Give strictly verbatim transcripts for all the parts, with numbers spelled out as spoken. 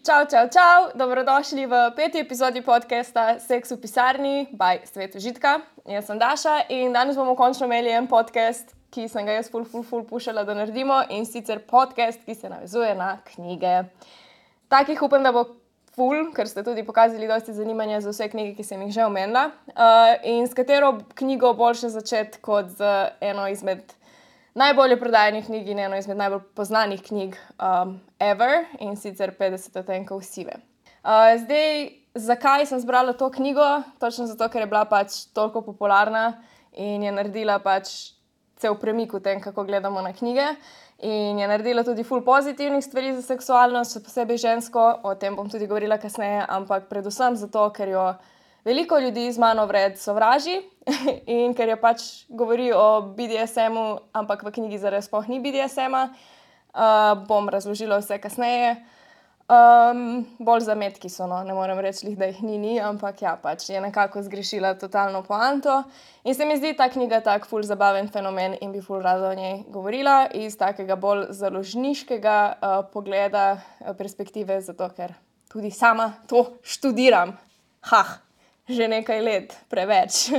Čau, čau, čau, dobrodošli v peti epizodi podcasta Seks v pisarni by Svet užitka. Jaz sem Daša in danes bomo končno imeli en podcast, ki sem ga jaz ful, ful, ful pušala, da naredimo, in sicer podcast, ki se navezuje na knjige. Takih upam, da bo ful, ker ste tudi pokazali dosti zanimanja za vse knjige, ki sem jih že omenila. Uh, in s katero knjigo boljše začeti kot z eno izmed najbolje prodajanih knjig in eno izmed najbolj poznanih knjig um, ever, in sicer petdeset odtenkov sive. Uh, zdaj, zakaj sem zbrala to knjigo? Točno zato, ker je bila pač toliko popularna in je naredila pač cel premik v tem, kako gledamo na knjige. In je naredila tudi ful pozitivnih stvari za seksualnost, še posebej žensko, o tem bom tudi govorila kasneje, ampak predvsem zato, ker jo veliko ljudi z mano vred sovraži in ker je pač govori o B D S M-u, ampak v knjigi zares sploh ni B D S M-a. Uh, bom razložila vse kasneje. Um, bolj zametki so, no, ne morem reči, da jih ni, ni, ampak ja, pač je nekako zgrešila totalno poanto. In se mi zdi ta knjiga tak ful zabaven fenomen in bi ful rada o njej govorila iz takega bolj založniškega uh, pogleda, uh, perspektive, zato ker tudi sama to študiram. Hah, že nekaj let, preveč.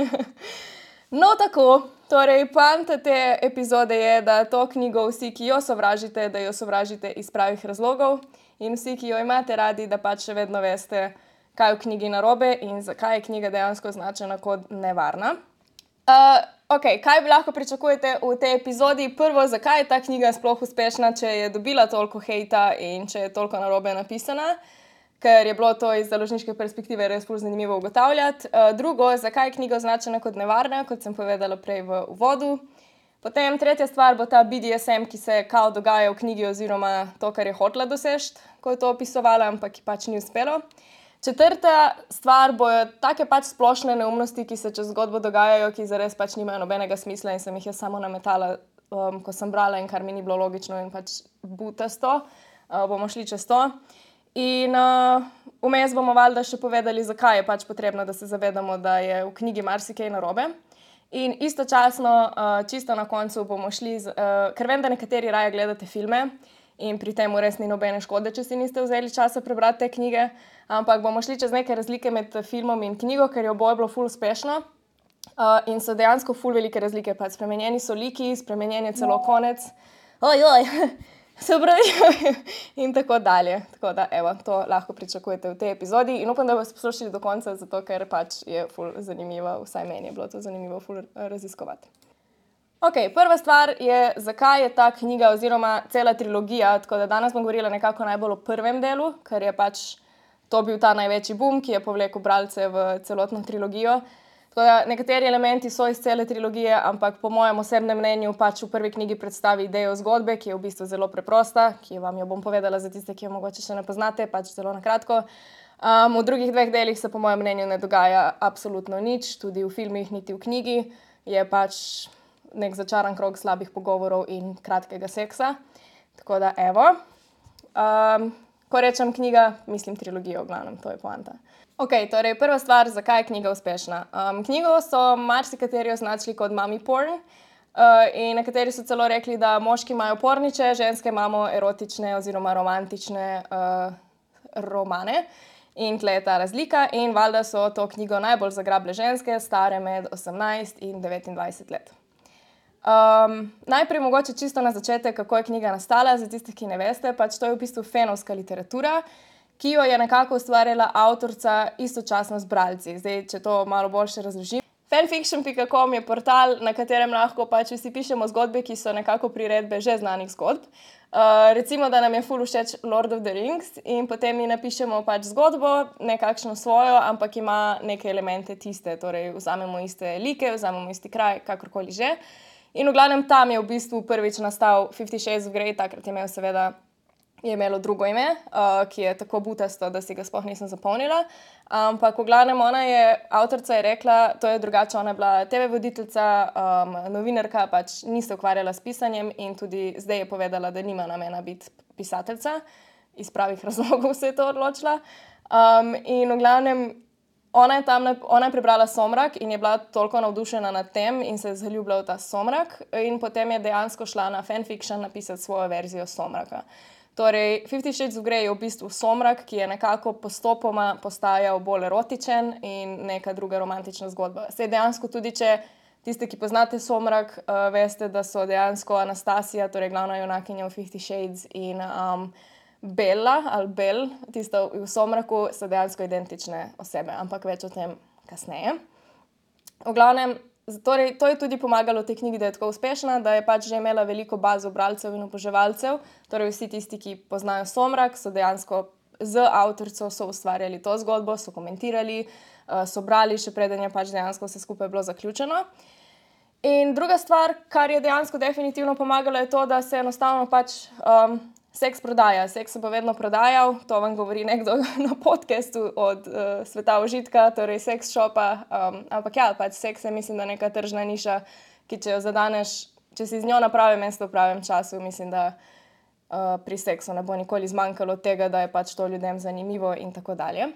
No, tako, torej poanta te epizode je, da to knjigo vsi, ki jo sovražite, da jo sovražite iz pravih razlogov. In vsi, ki jo imate radi, da pač še vedno veste, kaj je v knjigi narobe in zakaj je knjiga dejansko označena kot nevarna. Uh, ok, kaj bi lahko pričakujete v tej epizodi? Prvo, zakaj je ta knjiga sploh uspešna, če je dobila toliko hejta in če je toliko narobe napisana, ker je bilo to iz založniške perspektive res ful zanimivo ugotavljati. Uh, drugo, zakaj je knjiga označena kot nevarna, kot sem povedala prej v uvodu. Potem tretja stvar bo ta B D S M, ki se kao dogaja v knjigi oziroma to, kar je hotela doseči, ko je to opisovala, ampak ki pač ni uspelo. Četrta stvar bojo take pač splošne neumnosti, ki se čez zgodbo dogajajo, ki zares pač nimajo nobenega smisla in sem jih jaz samo nametala, um, ko sem brala in kar mi ni bilo logično in pač butasto. Uh, bomo šli čez to. In uh, vmes bomo valjda še povedali, zakaj je pač potrebno, da se zavedamo, da je v knjigi marsikaj narobe. In istočasno, uh, čisto na koncu bomo šli, z, uh, ker vem, da nekateri raje gledate filme in pri tem res ni nobene škode, če si niste vzeli časa prebrati te knjige, ampak bomo šli čez neke razlike med filmom in knjigo, ker je oboje bilo ful uspešno uh, in so dejansko ful velike razlike. Pa spremenjeni so liki, spremenjen je celo konec, oj, oj, se upravičujem in tako dalje. Tako da, evo, to lahko pričakujete v tej epizodi in upam, da boste poslušali do konca, zato ker pač je ful zanimivo, vsaj meni je bilo to zanimivo ful raziskovati. Ok, prva stvar je, zakaj je ta knjiga oziroma cela trilogija, tako da danes bom govorila nekako najbolj o prvem delu, ker je pač to bil ta največji boom, ki je povlekel bralce v celotno trilogijo. Tako da nekateri elementi so iz cele trilogije, ampak po mojem osebnem mnenju pač v prvi knjigi predstavi idejo zgodbe, ki je v bistvu zelo preprosta, ki vam jo bom povedala za tiste, ki jo mogoče še ne poznate, pač zelo na kratko. Um, v drugih dveh delih se po mojem mnenju ne dogaja absolutno nič, tudi v filmih, niti v knjigi. Je pač nek začaran krog slabih pogovorov in kratkega seksa. Tako da evo. Um, ko rečem knjiga, mislim trilogijo v glavnem, to je poanta. Ok, torej prva stvar, zakaj je knjiga uspešna. Um, knjigo so marsikateri označili kot mommy porn uh, in nekateri so celo rekli, da moški imajo porniče, ženske imamo erotične oziroma romantične uh, romane. In tle je ta razlika in valjda so to knjigo najbolj zagrable ženske, stare med osemnajst in devetindvajset let. Um, najprej mogoče čisto na začetek, kako je knjiga nastala, za tiste, ki ne veste, pač to je v bistvu fenovska literatura, ki jo je nekako ustvarjala avtorica istočasno z bralci. Zdaj, če to malo boljše razložim. fanfiction pika com je portal, na katerem lahko pač vsi pišemo zgodbe, ki so nekako priredbe že znanih zgodb. Uh, recimo, da nam je ful všeč Lord of the Rings in potem mi napišemo pač zgodbo, nekakšno svojo, ampak ima neke elemente tiste, torej vzamemo iste like, vzamemo isti kraj, kakorkoli že. In v glavnem tam je v bistvu prvič nastal Fifty Shades of Grey, takrat je imel seveda je imelo drugo ime, uh, ki je tako butasto, da si ga sploh nisem zapomnila. Ampak v glavnem ona je, avtorica je rekla, to je drugače, ona je bila te ve voditeljica, um, novinarka, pač ni se ukvarjala s pisanjem in tudi zdaj je povedala, da nima namena biti pisateljica. Iz pravih razlogov se je to odločila. Um, in v glavnem, ona je, tam, ona je prebrala Somrak in je bila toliko navdušena nad tem in se je zaljubila v ta Somrak in potem je dejansko šla na fanfiction napisati svojo verzijo Somraka. Torej, Fifty Shades of Grey je v bistvu somrak, ki je nekako postopoma postajal bolj erotičen in neka druga romantična zgodba. Sej dejansko tudi, če tiste, ki poznate somrak, uh, veste, da so dejansko Anastasija, torej glavna junakinja v Fifty Shades in um, Bella ali Bell, tista v somraku, so dejansko identične osebe, ampak več o tem kasneje. V glavnem, torej, to je tudi pomagalo tej knjigi, da je tako uspešna, da je pač že imela veliko bazo bralcev in oboževalcev. Torej, vsi tisti, ki poznajo somrak, so dejansko z avtorico so ustvarjali to zgodbo, so komentirali, so brali, še preden je pač dejansko vse skupaj bilo zaključeno. In druga stvar, kar je dejansko definitivno pomagalo, je to, da se enostavno pač um, seks prodaja. Seks se bo vedno prodajal, to vam govori nekdo na podcastu od uh, sveta užitka, torej seks shopa, um, ampak ja, pač seks je, mislim, da neka tržna niša, ki če jo zadaneš, če si z njo na pravem mestu v pravem času, mislim, da uh, pri seksu ne bo nikoli zmanjkalo tega, da je pač to ljudem zanimivo in tako dalje.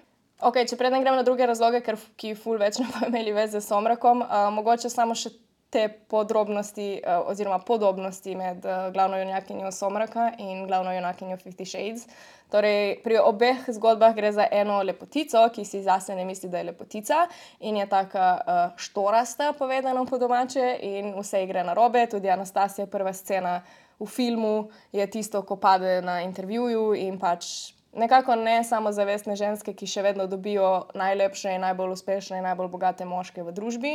Ok, če preden grem na druge razloge, ker, ki ful več ne bo imeli veze z somrakom, uh, mogoče samo še te podrobnosti uh, oziroma podobnosti med uh, glavno junakinjo Somraka in glavno junakinjo Fifty Shades. Torej, pri obeh zgodbah gre za eno lepotico, ki si zase ne misli, da je lepotica in je taka uh, štorasta, povedano po domače, in vse gre narobe. Tudi Anastasija, prva scena v filmu, je tisto, ko pade na intervjuju in pač nekako ne samozavestne ženske, ki še vedno dobijo najlepše in najbolj uspešne in najbolj bogate moške v družbi.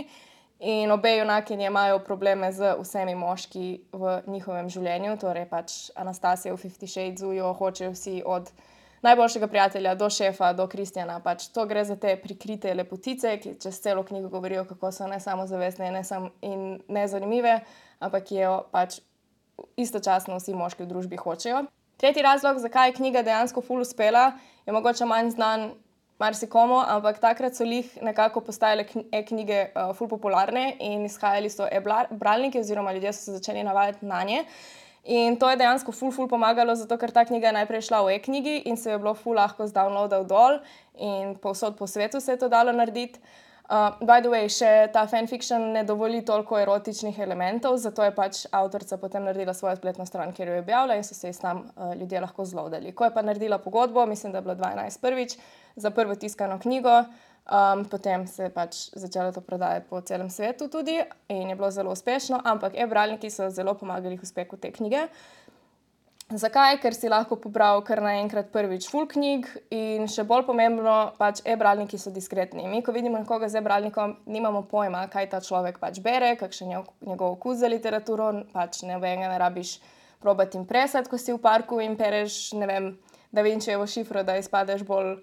In obe junakinje imajo probleme z vsemi moški v njihovem življenju, torej pač Anastasija v Fifty Shadesu jo hočejo vsi od najboljšega prijatelja do šefa, do Kristjana. Pač to gre za te prikrite lepotice, ki čez celo knjigo govorijo, kako so ne samozavestne in, ne sam, in nezanimive, ampak ki jo pač istočasno vsi moški v družbi hočejo. Tretji razlog, zakaj je knjiga dejansko ful uspela, je mogoče manj znan marsikomu, ampak takrat so lih nekako postajale e-knjige uh, ful popularne in izhajali so e-bralniki oziroma ljudje so se začeli navajati na nje. In to je dejansko ful ful pomagalo, zato ker ta knjiga je najprej šla v e-knjigi in se je bilo ful lahko zdownloadal dol in povsod po svetu se je to dalo narediti. Uh, by the way, še ta fanfiction ne dovoli toliko erotičnih elementov, zato je pač avtorica potem naredila svojo spletno stran, kjer jo je objavila in so se iz tam uh, ljudje lahko zloadali. Ko je pa naredila pogodbo, mislim, da je bilo dvanajst prvič, za prvo tiskano knjigo, um, potem se je pač začelo to prodajati po celem svetu tudi in je bilo zelo uspešno, ampak e-bralniki so zelo pomagali k uspehu te knjige. Zakaj? Ker si lahko pobral kar naenkrat prvič ful knjig in še bolj pomembno, pač e-bralniki so diskretni. Mi, ko vidimo nekoga z e-bralnikom, nimamo pojma, kaj ta človek pač bere, kakšen je njegov okus za literaturo, pač ne vem, ne rabiš probati impresati, ko si v parku in pereš, ne vem, Da Vinčijevo šifro, da izpadeš bolj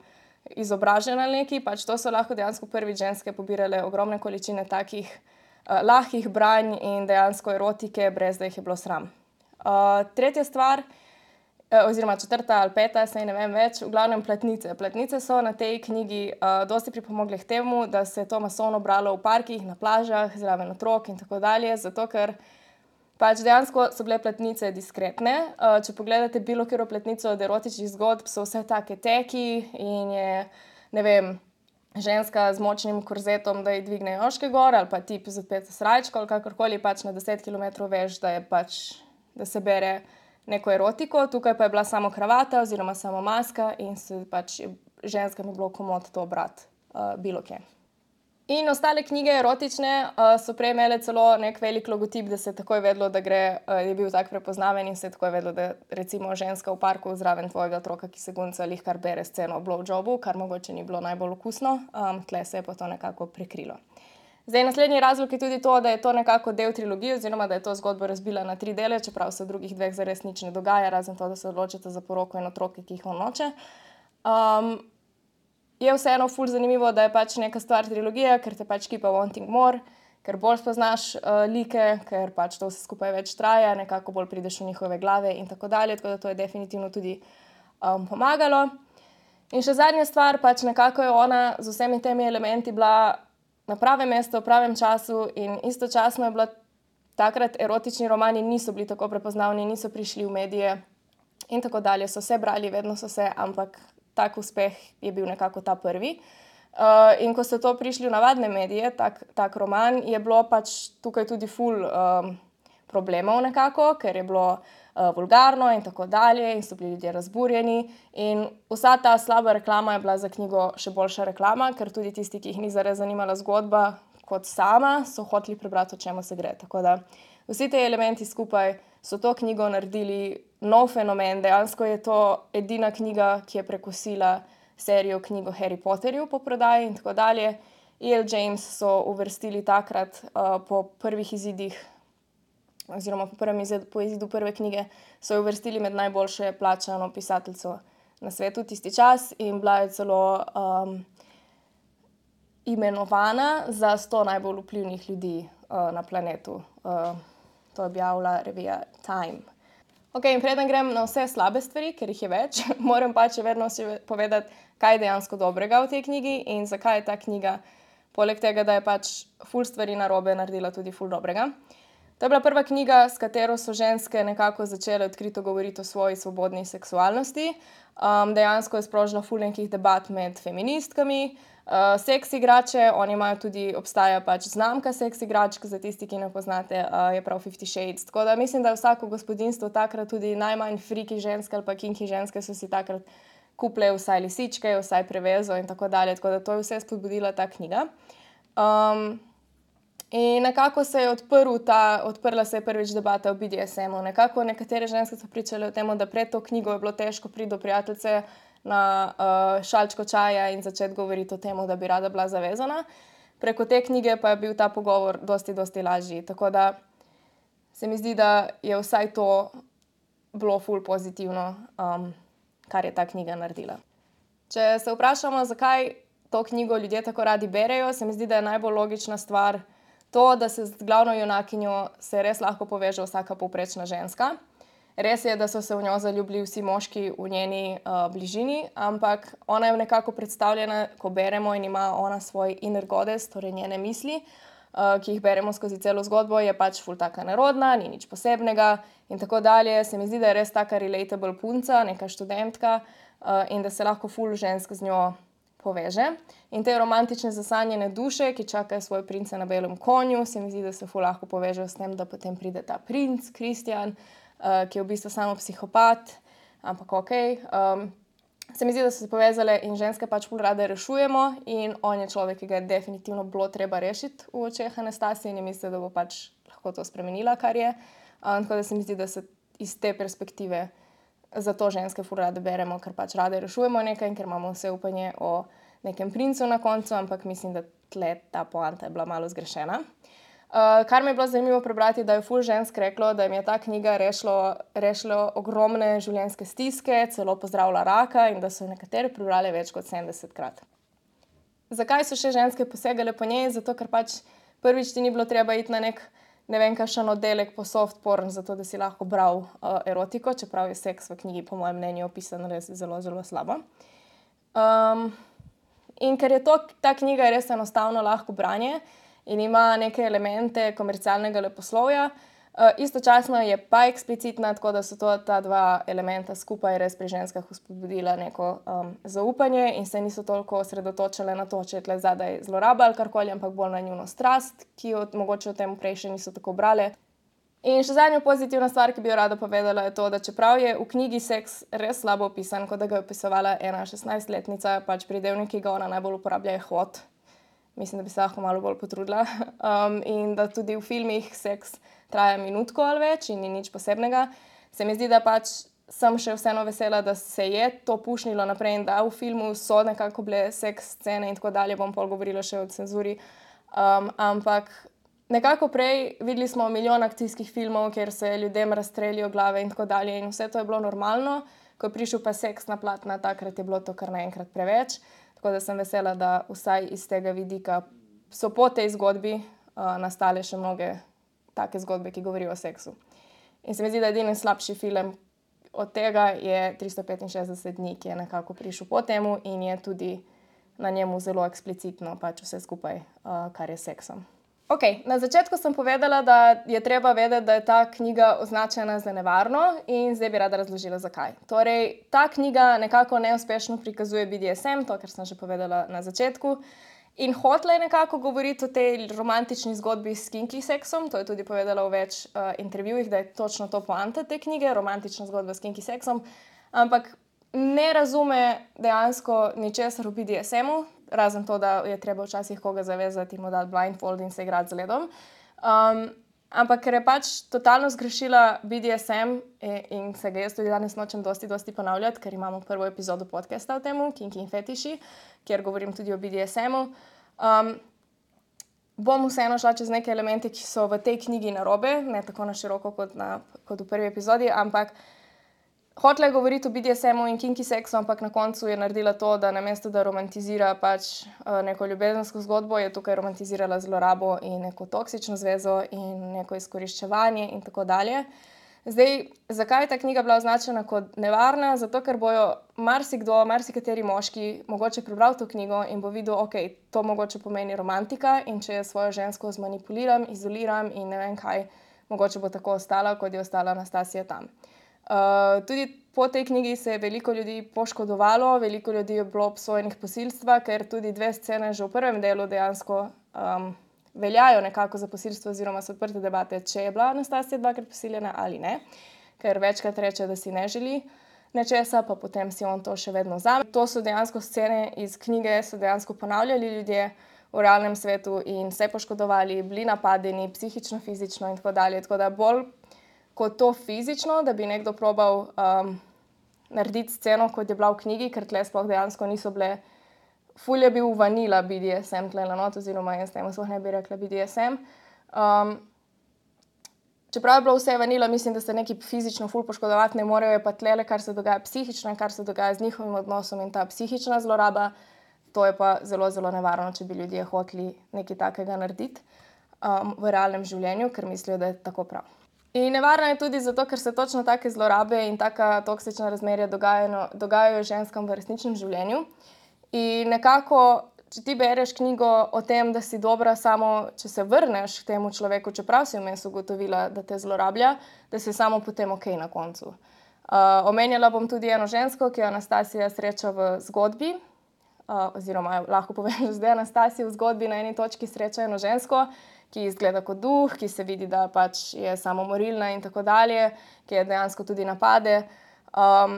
izobražen ali neki. Pač to so lahko dejansko prvič ženske pobirale ogromne količine takih uh, lahkih branj in dejansko erotike, brez da jih je bilo sram. Uh, tretja stvar, uh, oziroma četrta ali peta, saj ne vem več, v glavnem platnice. Platnice so na tej knjigi uh, dosti pripomogle k temu, da se je to masovno bralo v parkih, na plažah, zraven otrok in tako dalje, zato ker pač dejansko so bile platnice diskretne. Uh, če pogledate bilo katero platnico od erotičnih zgodb, so vse take teki in je, ne vem, ženska z močnim korzetom, da ji dvigne joške gor, ali pa tip z odpeto srajčko, ali kakorkoli, pač na deset kilometrov veš, da je pač da se bere neko erotiko, tukaj pa je bila samo kravata oziroma samo maska in se pač ženskam je bilo komod to brati uh, bilo kje. In ostale knjige erotične uh, so prej imele celo nek velik logotip, da se je takoj vedlo, da gre, uh, je bil tak prepoznaven in se je takoj vedlo, da recimo ženska v parku zraven tvojega otroka, ki se gunca, lih kar bere sceno o blowjobu, kar mogoče ni bilo najbolj okusno, um, tle se je pa to nekako prekrilo. Zdaj, naslednji razlog je tudi to, da je to nekako del trilogije, oziroma da je to zgodbo razbila na tri dele, čeprav se v drugih dveh zares nič ne dogaja, razen to, da se odločite za poroko in otroke, ki jih on noče. Um, je vseeno ful zanimivo, da je pač neka stvar trilogija, ker te pač keep wanting more, ker bolj spoznaš uh, like, ker pač to vse skupaj več traja, nekako bolj prideš v njihove glave in tako dalje, tako da to je definitivno tudi um, pomagalo. In še zadnja stvar, pač nekako je ona z vsemi temi elementi bila na pravem mestu, v pravem času in istočasno je bila takrat erotični romani niso bili tako prepoznavni, niso prišli v medije in tako dalje. So se brali, vedno so se, ampak tak uspeh je bil nekako ta prvi. Uh, in ko so to prišli v navadne medije, tak, tak roman, je bilo pač tukaj tudi ful um, problemov nekako, ker je bilo uh, vulgarno in tako dalje in so bili ljudje razburjeni. In vsa ta slaba reklama je bila za knjigo še boljša reklama, ker tudi tisti, ki jih ni zares zanimala zgodba kot sama, so hoteli prebrati, o čemu se gre. Tako da vsi te elementi skupaj so to knjigo naredili nov fenomen. Dejansko je to edina knjiga, ki je prekosila serijo knjigo Harry Potterju po prodaji in tako dalje. E L James so uvrstili takrat uh, po prvih izidih, oziroma po, prvem izid, po izidu prve knjige, so jo uvrstili med najboljše plačano pisateljco na svetu tisti čas in bila je celo um, imenovana za sto najbolj vplivnih ljudi uh, na planetu. Uh, to je objavila revija Time. Ok, in preden grem na vse slabe stvari, ker jih je več, moram pač vedno si povedati, kaj je dejansko dobrega v tej knjigi in zakaj je ta knjiga, poleg tega, da je pač ful stvari narobe, naredila tudi ful dobrega. To je bila prva knjiga, s katero so ženske nekako začele odkrito govoriti o svoji svobodni seksualnosti. Um, dejansko je sprožila ful nekih debat med feministkami. Uh, seks igrače, oni imajo tudi, obstaja pač znamka seks igračk, za tisti, ki ne poznate, uh, je prav Fifty Shades. Tako da mislim, da je vsako gospodinjstvo takrat, tudi najmanj friki ženske ali pa kinki ženske, so si takrat kupile vsaj lisičke, vsaj prevezo in tako dalje. Tako da to je vse spodbudila ta knjiga. Um, in nekako se je odprl ta, odprla se je prvič debata o B D S M-u. Nekako nekatere ženske so pričale o tem, da pred to knjigo je bilo težko priti do prijateljice na uh, šalčko čaja in začeti govoriti o tem, da bi rada bila zavezana. Preko te knjige pa je bil ta pogovor dosti, dosti lažji. Tako da se mi zdi, da je vsaj to bilo ful pozitivno, um, kar je ta knjiga naredila. Če se vprašamo, zakaj to knjigo ljudje tako radi berejo, se mi zdi, da je najbolj logična stvar to, da se z glavno junakinjo se res lahko poveže vsaka povprečna ženska. Res je, da so se v njo zaljubili vsi moški v njeni uh, bližini, ampak ona je nekako predstavljena, ko beremo in ima ona svoj inner goddess, torej njene misli, uh, ki jih beremo skozi celo zgodbo, je pač ful taka nerodna, ni nič posebnega in tako dalje. Se mi zdi, da je res taka relatable punca, neka študentka uh, in da se lahko ful žensk z njo poveže. In te romantične zasanjene duše, ki čakajo svoje prince na belem konju, se mi zdi, da se ful lahko povežejo s tem, da potem pride ta princ, Kristjan, Uh, ki je v bistvu samo psihopat, ampak ok. Um, se mi zdi, da so se povezale in ženske pač ful rade rešujemo in on je človek, ki ga je definitivno bilo treba rešiti v očeh Anastasije in je mislila, da bo pač lahko to spremenila, kar je. Um, tako da se mi zdi, da se iz te perspektive zato ženske ful rade beremo, ker pač rade rešujemo nekaj in ker imamo vse upanje o nekem princu na koncu, ampak mislim, da tle ta poanta je bila malo zgrešena. Uh, kar mi je bilo zanimivo prebrati, da je ful žensk reklo, da jim je ta knjiga rešilo, rešilo ogromne življenjske stiske, celo pozdravila raka in da so nekatere prebrale več kot sedemdesetkrat. Zakaj so še ženske posegale po njej? Zato, ker pač prvič ti ni bilo treba iti na nek, ne vem, kakšen oddelek po soft porn, zato da si lahko bral uh, erotiko, čeprav je seks v knjigi po mojem mnenju opisan res zelo, zelo slabo. Um, in ker je to, ta knjiga res enostavno lahko branje, in ima neke elemente komercialnega leposlovja. Uh, istočasno je pa eksplicitna, tako da so to ta dva elementa skupaj res pri ženskah vzpodbudila neko um, zaupanje in se niso toliko osredotočile na to, če je tle zadaj zloraba ali karkoli, ampak bolj na njuno strast, ki jo mogoče v tem prej še niso tako brale. In še zadnja pozitivna stvar, ki bi jo rada povedala, je to, da čeprav je v knjigi seks res slabo opisan, kot da ga je opisovala ena šestnajstletnica, pač pridevnik, ki ga ona najbolj uporablja, je hot. Mislim, da bi se lahko malo bolj potrudila. Um, in da tudi v filmih seks traja minutko ali več in ni nič posebnega. Se mi zdi, da pač sem še vseeno vesela, da se je to pušnilo naprej in da v filmu so nekako bile seks scene in tako dalje. Bom pol govorila še o cenzuri. Um, ampak nekako prej videli smo milijon akcijskih filmov, kjer se ljudem razstrelijo glave in tako dalje. In vse to je bilo normalno. Ko je prišel pa seks na platna, takrat je bilo to kar naenkrat preveč. Tako da sem vesela, da vsaj iz tega vidika so po tej zgodbi uh, nastale še mnoge take zgodbe, ki govorijo o seksu. In se mi zdi, da edini slabši film od tega je tristo petinšestdeset dni, ki je nekako prišel po temu in je tudi na njemu zelo eksplicitno pač vse skupaj, uh, kar je seksom. Ok, na začetku sem povedala, da je treba vedeti, da je ta knjiga označena za nevarno in zdaj bi rada razložila, zakaj. Torej, ta knjiga nekako neuspešno prikazuje B D S M, to, kar sem že povedala na začetku, In hotela je nekako govoriti o tej romantični zgodbi s kinky seksom, to je tudi povedala v več uh, intervjujih, da je točno to poanta te knjige, romantična zgodba s kinky seksom, ampak ne razume dejansko ničesar v B D S M-u, razen to, da je treba včasih koga zavezati in mu dati blindfold in se igrati z ledom. Um, ampak ker je pač totalno zgrešila B D S M in, in se ga jaz tudi danes nočem dosti, dosti ponavljati, ker imamo prvo epizodo podcasta o temu, Kinky in fetiši, kjer govorim tudi o B D S M-u. Um, bom vseeno šla čez neke elemente, ki so v tej knjigi narobe, ne tako na široko kot, na, kot v prvi epizodi, ampak hotela je govoriti o B D S M-u in kinky seksu, ampak na koncu je naredila to, da namesto da romantizira pač uh, neko ljubezensko zgodbo, je tukaj romantizirala zlorabo in neko toksično zvezo in neko izkoriščevanje in tako dalje. Zdaj, zakaj je ta knjiga bila označena kot nevarna? Zato, ker bojo marsikdo, marsikateri moški mogoče prebral to knjigo in bo videl, ok, to mogoče pomeni romantika in če je svojo žensko zmanipuliram, izoliram in ne vem kaj, mogoče bo tako ostala, kot je ostala Anastasija tam. Uh, tudi po tej knjigi se je veliko ljudi poškodovalo, veliko ljudi je bilo obsojenih posilstva, ker tudi dve scene že v prvem delu dejansko um, veljajo nekako za posilstvo oziroma so odprte debate, če je bila Anastasija dvakrat posiljena ali ne, ker večkrat reče, da si ne želi nečesa, pa potem si on to še vedno vzame. To so dejansko scene iz knjige, so dejansko ponavljali ljudje v realnem svetu in se poškodovali, bili napadeni psihično, fizično in tako dalje, tako da bolj kot to fizično, da bi nekdo probal um, narediti sceno, kot je bila v knjigi, ker tle sploh dejansko niso bile, ful je bil vanila B D S M tle na not, oziroma jaz temu sploh ne bi rekla B D S M. Um, čeprav je bilo vse vanila, mislim, da se neki fizično ful poškodovati ne morejo, je pa tlele, kar se dogaja psihično in kar se dogaja z njihovim odnosom in ta psihična zloraba, to je pa zelo, zelo nevarno, če bi ljudje hoteli nekaj takega narediti um, v realnem življenju, ker mislijo, da je tako prav. In nevarno je tudi zato, ker se točno take zlorabe in taka toksična razmerja dogajajo, dogajajo ženskam v resničnem življenju. In nekako, če ti bereš knjigo o tem, da si dobra samo, če se vrneš k temu človeku, čeprav si vmes ugotovila, da te zlorablja, da si samo potem ok na koncu. Uh, omenjala bom tudi eno žensko, ki jo Anastasija sreča v zgodbi, uh, oziroma lahko povem, da zdaj Anastasija v zgodbi na eni točki sreča eno žensko, ki izgleda kot duh, ki se vidi, da pač je samomorilna in tako dalje, ki je dejansko tudi napade. Um,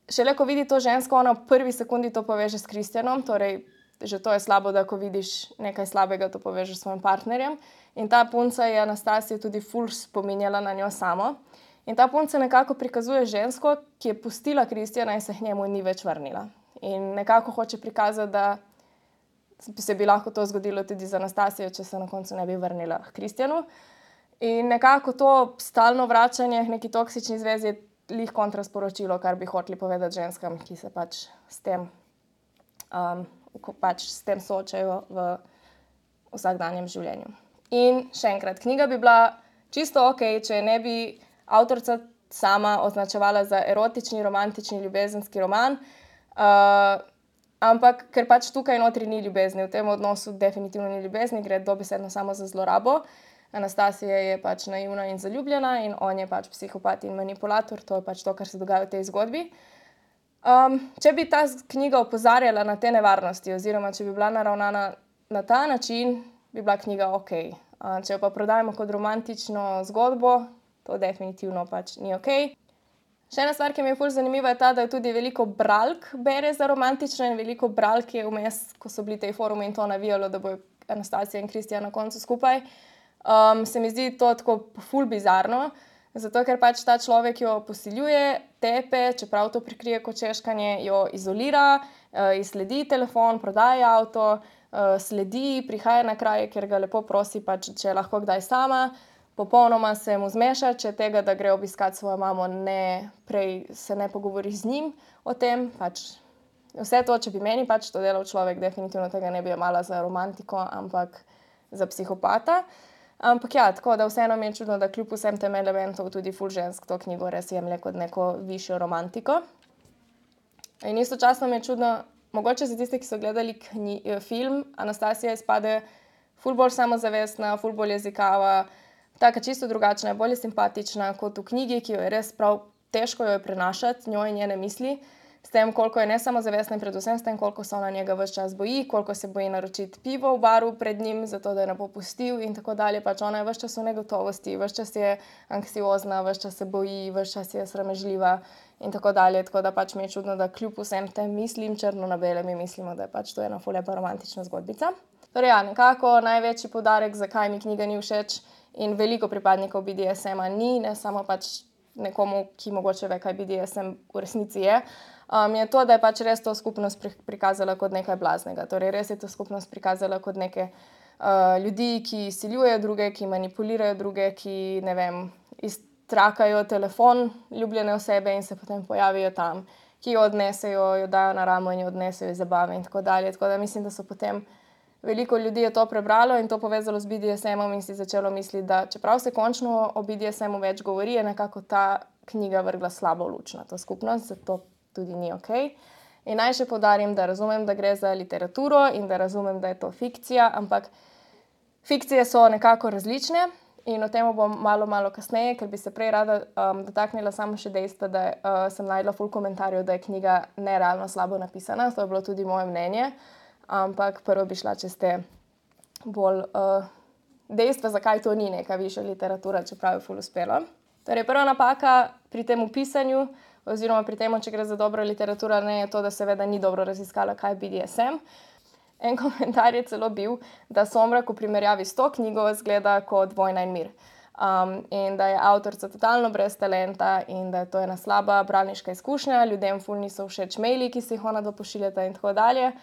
šele ko vidi to žensko, ona v prvi sekundi to poveže s Kristjanom, torej že to je slabo, da ko vidiš nekaj slabega, to povežeš s svojim partnerjem. In ta punca je Anastasijo tudi ful spominjala na njo samo. In ta punca nekako prikazuje žensko, ki je pustila Kristjana in se k njemu ni več vrnila. In nekako hoče prikazati, da se bi lahko to zgodilo tudi z Anastasijo, če se na koncu ne bi vrnila k Kristjanu. In nekako to stalno vračanje k neki toksični zvezi je lih kontrasporočilo, kar bi hoteli povedati ženskam, ki se pač s tem, um, pač s tem soočajo v vsakdanjem življenju. In še enkrat, knjiga bi bila čisto ok, če ne bi avtorica sama označevala za erotični, romantični, ljubezenski roman, uh, ampak ker pač tukaj notri ni ljubezni, v tem odnosu definitivno ni ljubezni, gre dobesedno samo za zlorabo. Anastasija je pač naivna in zaljubljena in on je pač psihopat in manipulator, to je pač to, kar se dogaja v tej zgodbi. Um, če bi ta knjiga opozarjala na te nevarnosti oziroma če bi bila naravnana na ta način, bi bila knjiga ok. Uh, če jo pa prodajemo kot romantično zgodbo, to definitivno pač ni ok. Še ena stvar, ki mi je ful zanimiva, je ta, da je tudi veliko bralk bere za romantično in veliko bralk je vmes, ko so bili tej forumi in to navijalo, da bo Anastasija in Kristjan na koncu skupaj. Um, se mi zdi to tako ful bizarno, zato ker pač ta človek jo posiljuje, tepe, čeprav to prikrije kot češkanje, jo izolira, uh, izsledi telefon, prodaja avto, uh, sledi, prihaja na kraje, kjer ga lepo prosi, pač, če je lahko kdaj sama. Popolnoma se mu zmeša, če tega, da gre obiskat svojo mamo, ne, prej se ne pogovori z njim o tem. Pač vse to, če bi meni pač to delal človek, definitivno tega ne bi jemala za romantiko, ampak za psihopata. Ampak ja, tako da vseeno mi je čudno, da kljub vsem tem elementov tudi ful žensk to knjigo res jemlje kot neko višjo romantiko. In istočasno mi je čudno, mogoče za tiste, ki so gledali knji, film, Anastasija izpade ful bolj samozavestna, ful bolj jezikava, taka čisto drugačna, bolj simpatična kot v knjigi, ki jo je res prav težko jo je prenašati, njo in njene misli, s tem, koliko je nesamozavestna in predvsem s tem, koliko se ona njega ves čas boji, koliko se boji naročiti pivo v baru pred njim, zato da je ne bo pustil in tako dalje. Pač ona je ves čas v negotovosti, ves čas je anksiozna, ves čas se boji, ves čas je sramežljiva in tako dalje. Tako da pač mi je čudno, da kljub vsem tem mislim, črno na bele, mi mislimo, da je pač to ena ful lepa romantična zgodbica. Torej ja, nekako največji poudarek, zakaj mi knjiga ni všeč in veliko pripadnikov B D S M-a ni, ne samo pač nekomu, ki mogoče ve, kaj B D S M v resnici je, um, je to, da je pač res to skupnost prikazala kot nekaj blaznega. Torej res je to skupnost prikazala kot neke uh, ljudi, ki siljujejo druge, ki manipulirajo druge, ki, ne vem, iztrakajo telefon ljubljene osebe in se potem pojavijo tam, ki jo odnesejo, jo dajo na ramo in jo odnesejo iz zabave in tako dalje. Tako da mislim, da so potem veliko ljudi je to prebralo in to povezalo z B D S M-om in si začelo misliti, da čeprav se končno o B D S M-u več govori, je nekako ta knjiga vrgla slabo luč na to skupnost, zato tudi ni ok. In naj še poudarim, da razumem, da gre za literaturo in da razumem, da je to fikcija, ampak fikcije so nekako različne in o tem bom malo, malo kasneje, ker bi se prej rada um, dotaknila samo še dejstva, da uh, sem najdla ful komentarjev, da je knjiga nerealno slabo napisana, to je bilo tudi moje mnenje. Ampak prvo bi šla čez te bolj uh, dejstva, zakaj to ni neka višja literatura, čeprav je ful uspelo. Torej, prva napaka pri tem pisanju, oziroma pri tem, če gre za dobro literaturo, ne je to, da seveda ni dobro raziskala, kaj je B D S M. En komentar je celo bil, da Somrak v primerjavi s to knjigo izgleda kot Vojna in mir. Um, in da je avtorica totalno brez talenta in da je to ena slaba bralniška izkušnja, ljudem ful niso všeč maili, ki si jih ona dopošiljata in tako dalje.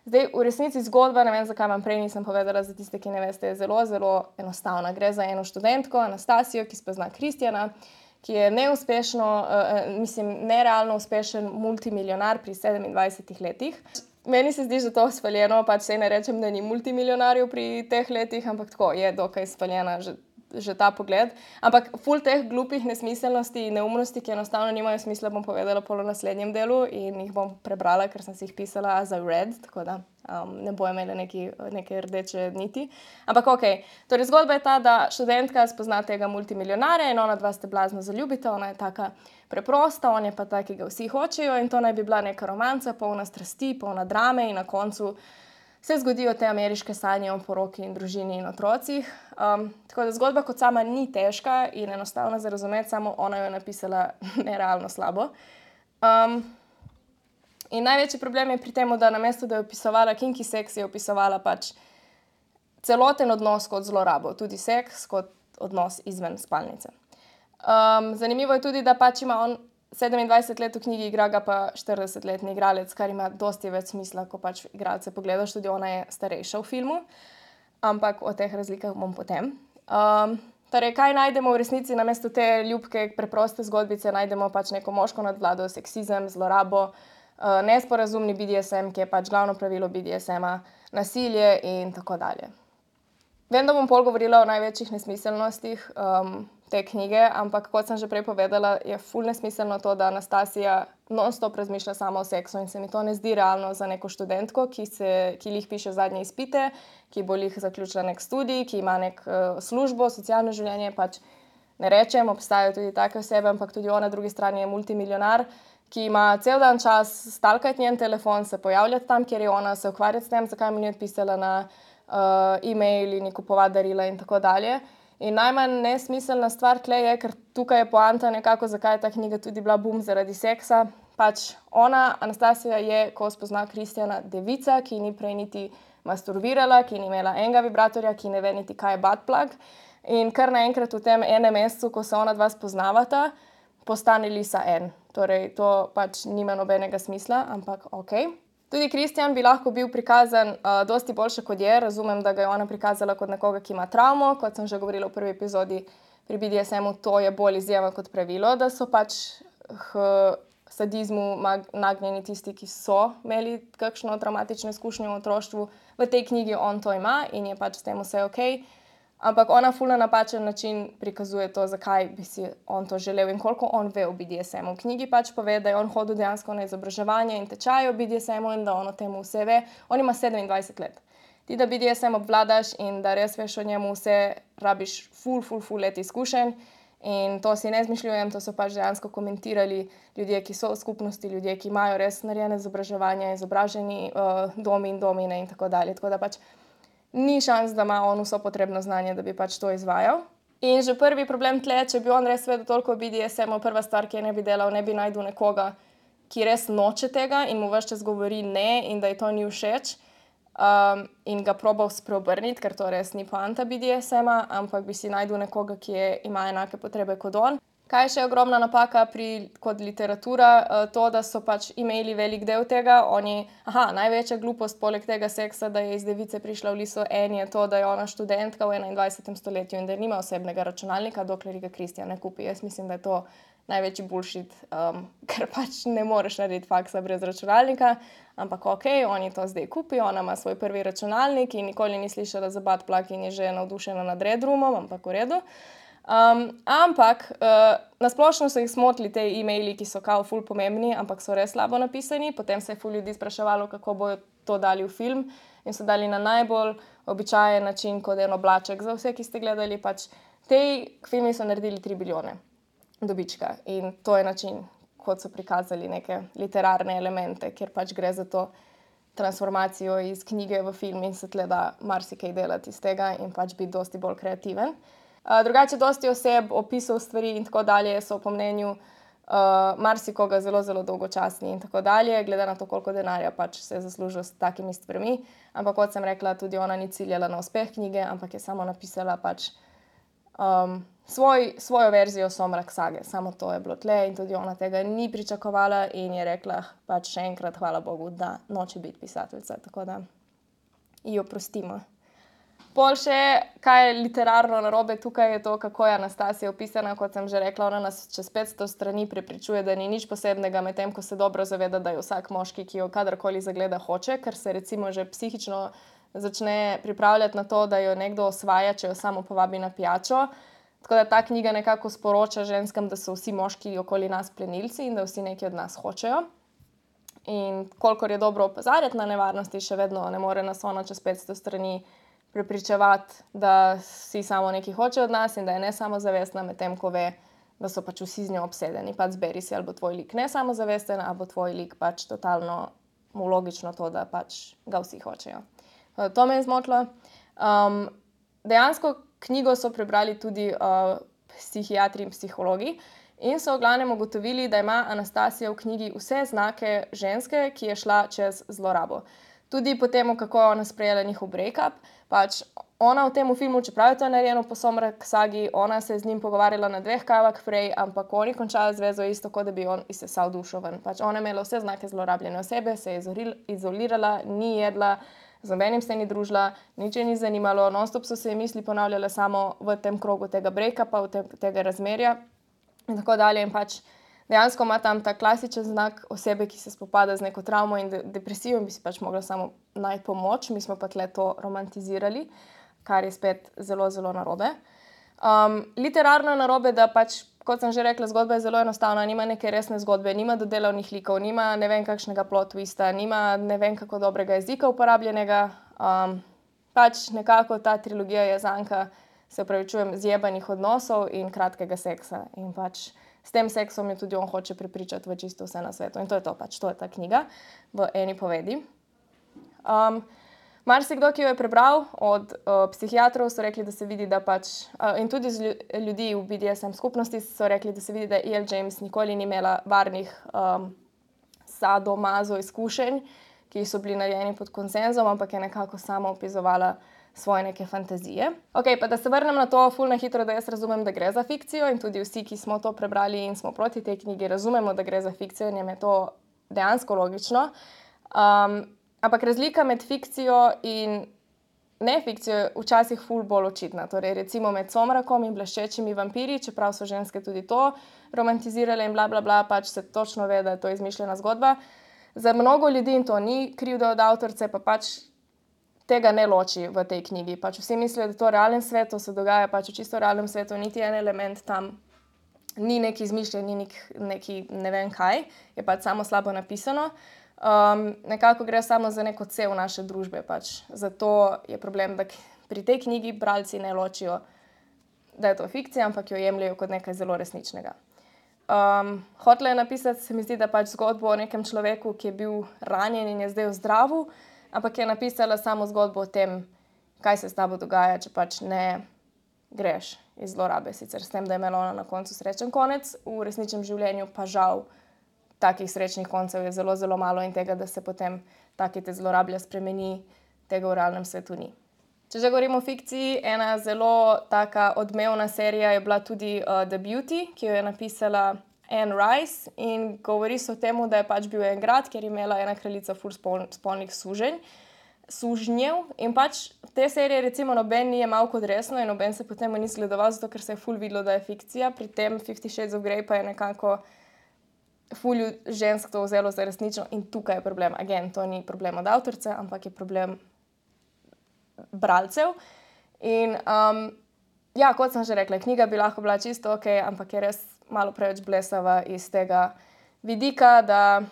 Zdaj, v resnici zgodba, ne vem, zakaj vam prej nisem povedala, za tiste, ki ne veste, je zelo, zelo enostavna. Gre za eno študentko, Anastasijo, ki spozna Kristjana, ki je neuspešno, uh, mislim, nerealno uspešen multimilionar pri sedemindvajsetih letih. Meni se zdi, da to spaljeno, pač se ne rečem, da ni multimilionarjev pri teh letih, ampak tako je dokaj spaljena že, že ta pogled. Ampak ful teh glupih nesmiselnosti in neumnosti, ki enostavno nimajo smisla, bom povedala pol v naslednjem delu in jih bom prebrala, ker sem si jih pisala as I read, tako da um, ne bojo imele neki, neke rdeče niti. Ampak ok, torej zgodba je ta, da študentka spozna tega multimilionarja in ona dva ste blazno zaljubita, ona je taka preprosta, on je pa tak, ki ga vsi hočejo in to naj bi bila neka romanca, polna strasti, polna drame in na koncu se zgodijo te ameriške sanje o poroki in družini in otrocih. Um, tako da zgodba kot sama ni težka in enostavna za razumeti, samo ona jo je napisala nerealno slabo. Um, in največji problem je pri tem, da namesto, da je opisovala kinky seks, je opisovala pač celoten odnos kot zlorabo, tudi seks kot odnos izven spalnice. Um, zanimivo je tudi, da pač ima on sedemindvajset let v knjigi, igra ga pa štiridesetletni igralec, kar ima dosti več smisla, ko pač igralce pogledaš, tudi ona je starejša v filmu, ampak o teh razlikah bom potem. Um, torej, kaj najdemo v resnici namesto te ljubke, preproste zgodbice, najdemo pač neko moško nadvlado, seksizem, zlorabo, uh, nesporazumni B D S M, ki je pač glavno pravilo B D S M-a, nasilje in tako dalje. Vem, da bom pol govorila o največjih nesmiselnostih um, te knjige, ampak kot sem že prej povedala, je ful nesmiselno to, da Anastasija non-stop razmišlja sama o seksu in se mi to ne zdi realno za neko študentko, ki, se, ki lih piše zadnje izpite, ki bo lih zaključila nek študij, ki ima nek uh, službo, socialno življenje, pač ne rečem, obstajajo tudi take osebe, ampak tudi ona na drugi strani je multimilionar, ki ima cel dan čas stalkati njen telefon, se pojavljati tam, kjer je ona, se ukvarjati s tem, zakaj mi ni odpisala na uh, e-mail in kupovati darila in tako dalje. In najmanj nesmiselna stvar tle je, ker tukaj je poanta nekako, zakaj je ta knjiga tudi bila bum zaradi seksa. Pač ona, Anastasija, je, ko spozna Kristjana, devica, ki ni prej niti masturbirala, ki ni imela enega vibratorja, ki ne ve niti, kaj je butt plug. In kar naenkrat v tem enem mesecu, ko se ona dva spoznavata, postane Lisa en. Torej, to pač nima nobenega smisla, ampak ok. Tudi Kristjan bi lahko bil prikazan uh, dosti boljše, kot je. Razumem, da ga je ona prikazala kot nekoga, ki ima travmo, kot sem že govorila v prvi epizodi pri B D S M-u, to je bolj izjema kot pravilo, da so pač k sadizmu nagnjeni tisti, ki so imeli kakšno traumatično izkušnjo v otroštvu. V tej knjigi on to ima in je pač s tem vse ok. Ampak ona ful na napačen način prikazuje to, zakaj bi si on to želel in koliko on ve o B D S M-u. V knjigi pač pove, da je on hodil dejansko na izobraževanje in tečaje o B D S M-u in da on o tem vse ve. On ima sedemindvajset let. Ti, da B D S M obvladaš in da res veš o njemu vse, rabiš ful, ful, ful let izkušenj In to si ne izmišljujem, to so pač dejansko komentirali ljudje, ki so v skupnosti, ljudje, ki imajo res narejene izobraževanja, izobraženi uh, domi in domine in tako dalje. Tako da pač ni šans, da ima on vso potrebno znanje, da bi pač to izvajal. In že prvi problem tle, če bi on res vedel toliko o B D S M-u, prva stvar, ki je ne bi delal, ne bi najdel nekoga, ki res noče tega in mu ves čas govori ne in da ji to ni všeč. Um, in ga probal spreobrniti, ker to res ni poanta B D S M-a, ampak bi si najdel nekoga, ki je, ima enake potrebe kot on. Kaj je še ogromna napaka pri kot literatura? Uh, to, da so pač imeli velik del tega. Oni, aha, največja glupost poleg tega seksa, da je iz device prišla v liso en, je to, da je ona študentka v enaindvajsetem stoletju in da nima osebnega računalnika, dokler ga Kristjan ne kupi. Jaz mislim, da je to največji bullshit, um, ker pač ne moreš narediti faksa brez računalnika, ampak ok, oni to zdaj kupijo, ona ima svoj prvi računalnik in nikoli ni slišala za Buttplug in je že navdušena nad Red Roomom, ampak v redu. Um, ampak uh, nasplošno so jih smotili te e-maili, ki so kao ful pomembni, ampak so res slabo napisani. Potem se je ful ljudi spraševalo, kako bojo to dali v film in so dali na najbolj običajen način, kot en oblaček. Za vse, ki ste gledali, pač te filmi so naredili tri bilijone dobička in to je način, kot so prikazali neke literarne elemente, kjer pač gre za to transformacijo iz knjige v film in se tle da marsikaj delati iz tega in pač biti dosti bolj kreativen. Uh, drugače, dosti oseb, opisov stvari in tako dalje so po mnenju uh, marsikoga zelo, zelo dolgočasni in tako dalje, glede na to, koliko denarja pač se je zaslužil s takimi stvarmi. Ampak kot sem rekla, tudi ona ni ciljala na uspeh knjige, ampak je samo napisala pač um, svoj, svojo verzijo Somrak sage. Samo to je bilo tle in tudi ona tega ni pričakovala in je rekla pač še enkrat hvala Bogu, da noče biti pisateljica. Tako da ji oprostimo. Pol še, kaj je literarno narobe tukaj, je to, kako je Anastasija opisana. Kot sem že rekla, ona nas čez petsto strani prepričuje, da ni nič posebnega, medtem ko se dobro zaveda, da je vsak moški, ki jo kadarkoli zagleda, hoče, ker se recimo že psihično začne pripravljati na to, da jo nekdo osvaja, če jo samo povabi na pijačo. Tako da ta knjiga nekako sporoča ženskam, da so vsi moški okoli nas plenilci in da vsi nekaj od nas hočejo. In kolikor je dobro opozarjati na nevarnosti, še vedno ne more nas ona čez petsto strani prepričevati, da vsi samo nekaj hoče od nas in da je ne samozavestna, medtem ko ve, da so pač vsi z njo obsedeni. Pač zberi si, ali bo tvoj lik nesamozavesten, ali bo tvoj lik pač totalno mu logično to, da pač ga vsi hočejo. To me je zmotilo. Um, dejansko knjigo so prebrali tudi uh, psihiatri in psihologi in so v glavnem ugotovili, da ima Anastasija v knjigi vse znake ženske, ki je šla čez zlorabo. Tudi po tem, kako je ona sprejela njihov break-up, pač ona v tem filmu, čeprav je to narejeno po Somrak sagi, ona se je z njim pogovarjala na dveh kavah prej, ampak oni končali zvezo isto, kot da bi on izsesal dušo ven. Pač ona je imela vse znake zlorabljene osebe, se je izolirala, ni jedla, z nobenim se ni družila, nič je ni zanimalo, non-stop so se ji misli ponavljale samo v tem krogu tega break-upa, v te, tega razmerja in tako dalje. In pač dejansko ima tam ta klasičen znak osebe, ki se spopada z neko travmo in de depresijo in bi si pač mogla samo najti pomoč. Mi smo pa tle to romantizirali, kar je spet zelo, zelo narobe. Um, literarno je narobe, da pač, kot sem že rekla, zgodba je zelo enostavna, nima neke resne zgodbe, nima dodelavnih likov, nima ne vem kakšnega plot twista, nima ne vem kako dobrega jezika uporabljenega. Um, pač nekako ta trilogija je zanka, se opravičujem, zjebanih odnosov in kratkega seksa. In pač s tem seksom je tudi on hoče prepričati v čisto vse na svetu. In to je to pač, to je ta knjiga v eni povedi. Um, Marsikdo, ki jo je prebral od uh, psihiatrov, so rekli, da se vidi, da pač, uh, in tudi z ljudi v B D S M skupnosti so rekli, da se vidi, da E L. James nikoli ni imela varnih um, sadomazo izkušenj, ki so bili narejeni pod konsenzom, ampak je nekako sama opisovala svoje neke fantazije. Ok, pa da se vrnem na to ful na hitro, da jaz razumem, da gre za fikcijo in tudi vsi, ki smo to prebrali in smo proti tej knjigi, razumemo, da gre za fikcijo in je to dejansko logično. Um, Ampak razlika med fikcijo in nefikcijo je včasih ful bolj očitna. Torej, recimo med Somrakom in bleščečimi vampiri, čeprav so ženske tudi to romantizirale in bla, bla, bla, pač se točno ve, da je to izmišljena zgodba. Za mnogo ljudi, in to ni krivda od avtorice, pa pač tega ne loči v tej knjigi. Pač vsi mislijo, da to v realnem svetu se dogaja, pač v čisto realnem svetu niti en element tam ni neki izmišljen, ni neki ne vem kaj, je pač samo slabo napisano. Um, nekako gre samo za neko cev naše družbe. Pač. Zato je problem, da pri tej knjigi bralci ne ločijo da je to fikcija, ampak jo jemljajo kot nekaj zelo resničnega. Um, hotela je napisati, se mi zdi, da pač zgodbo o nekem človeku, ki je bil ranjen in je zdaj v zdravu, ampak je napisala samo zgodbo o tem, kaj se s tabo dogaja, če pač ne greš iz zlorabe. Sicer s tem, da je imela ona na koncu srečen konec, v resničnem življenju pa žal takih srečnih koncev je zelo, zelo malo in tega, da se potem taki te zlorablja spremeni, tega v realnem svetu ni. Če že govorimo o fikciji, ena zelo taka odmevna serija je bila tudi uh, The Beauty, ki jo je napisala Anne Rice in govori se o tem, da je pač bil en grad, kjer je imela ena kraljica ful spol, spolnih suženj, sužnjev in pač te serije recimo noben ni jemal kot resno in noben se potem ni zgledoval, zato ker se je ful videlo, da je fikcija. Pri tem Fifty Shades of Grey pa je nekako ful žensk to vzelo za resnično in tukaj je problem. Again, to ni problem od avtorice, ampak je problem bralcev. In um, ja, kot sem že rekla, knjiga bi lahko bila čisto ok, ampak je res malo preveč blesava iz tega vidika, da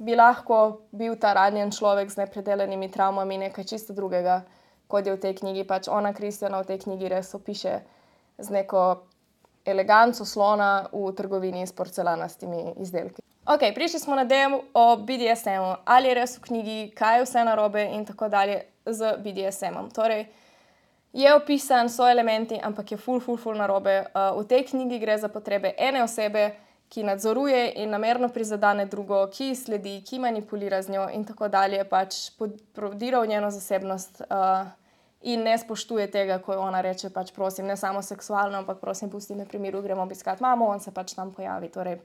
bi lahko bil ta ranjen človek z nepredelanimi travmami nekaj čisto drugega, kot je v tej knjigi. Pač ona, Kristjana, v tej knjigi res opiše z neko eleganco slona v trgovini s porcelanastimi izdelki. Ok, prišli smo na del o B D S M-u. Ali je res v knjigi, kaj je vse narobe in tako dalje z B D S M-om. Torej, je opisan, so elementi, ampak je ful, ful, ful narobe. Uh, v tej knjigi gre za potrebe ene osebe, ki nadzoruje in namerno prizadane drugo, ki sledi, ki manipulira z njo in tako dalje, pač prodira v njeno zasebnost uh, in ne spoštuje tega, ko ona reče, pač prosim, ne samo seksualno, ampak prosim, pusti me pri miru, gremo obiskat mamo, on se pač tam pojavi. Torej,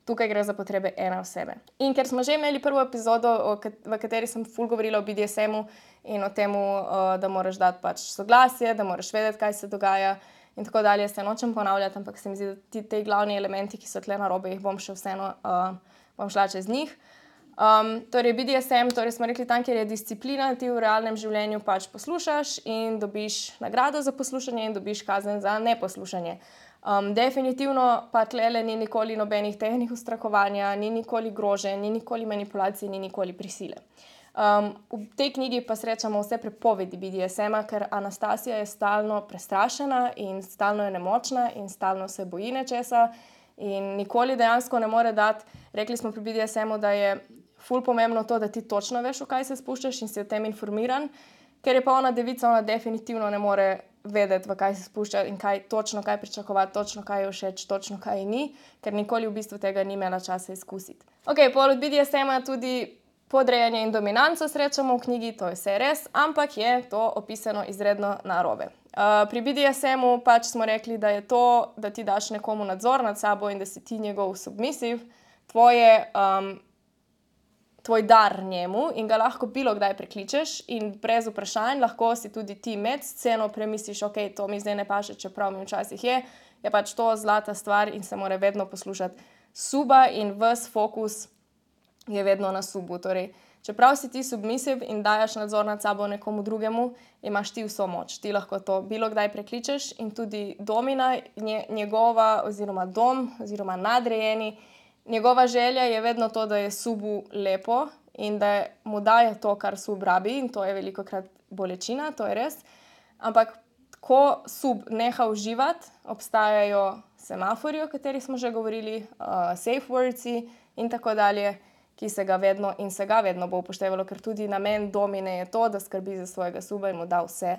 tukaj gre za potrebe ene osebe. In ker smo že imeli prvo epizodo, v kateri sem ful govorila o B D S M-u in o tem, da moraš dati pač soglasje, da moraš vedeti, kaj se dogaja in tako dalje, se nočem ponavljati, ampak se mi zdi, da ti te glavni elementi, ki so tle narobe, jih bom še vseeno, uh, bom šla čez njih. Um, torej, B D S M, torej smo rekli tam, kjer je disciplina, ti v realnem življenju pač poslušaš in dobiš nagrado za poslušanje in dobiš kazen za neposlušanje. Um, definitivno pa tlele ni nikoli nobenih tehnik ustrahovanja, ni nikoli grože, ni nikoli manipulacije, ni nikoli prisile. Um, v tej knjigi pa srečamo vse prepovedi B D S M-a, ker Anastasija je stalno prestrašena in stalno je nemočna in stalno se boji nečesa in nikoli dejansko ne more dati. Rekli smo pri B D S M-u, da je ful pomembno to, da ti točno veš, v kaj se spuščaš in si o tem informiran, ker je pa ona devica, ona definitivno ne more vedeti, v kaj se spušča in kaj točno, kaj pričakovati, točno kaj je všeč, točno kaj ni, ker nikoli v bistvu tega ni imela časa izkusiti. Ok, pol od B D S M-a tudi podrejanje in dominanco srečamo v knjigi, to je vse res, ampak je to opisano izredno narobe. Uh, pri B D S M-u pač smo rekli, da je to, da ti daš nekomu nadzor nad sabo in da si ti njegov submisiv, tvoje um, tvoj dar njemu in ga lahko bilo kdaj prekličeš in brez vprašanj lahko si tudi ti med sceno premisliš, ok, to mi zdaj ne paše, čeprav mi včasih je, je pač to zlata stvar in se mora vedno poslušati suba in ves fokus je vedno na subu. Torej, čeprav si ti submisiv in dajaš nadzor nad sabo nekomu drugemu, imaš ti vso moč. Ti lahko to bilo kdaj prekličeš in tudi domina, njegova oziroma dom oziroma nadrejeni, njegova želja je vedno to, da je subu lepo in da mu daje to, kar sub rabi in to je velikokrat bolečina, to je res. Ampak ko sub neha uživati, obstajajo semafori, o katerih smo že govorili, uh, safe wordsi in tako dalje, ki se ga vedno in se ga vedno bo upoštevalo, ker tudi namen domine je to, da skrbi za svojega suba in mu da vse,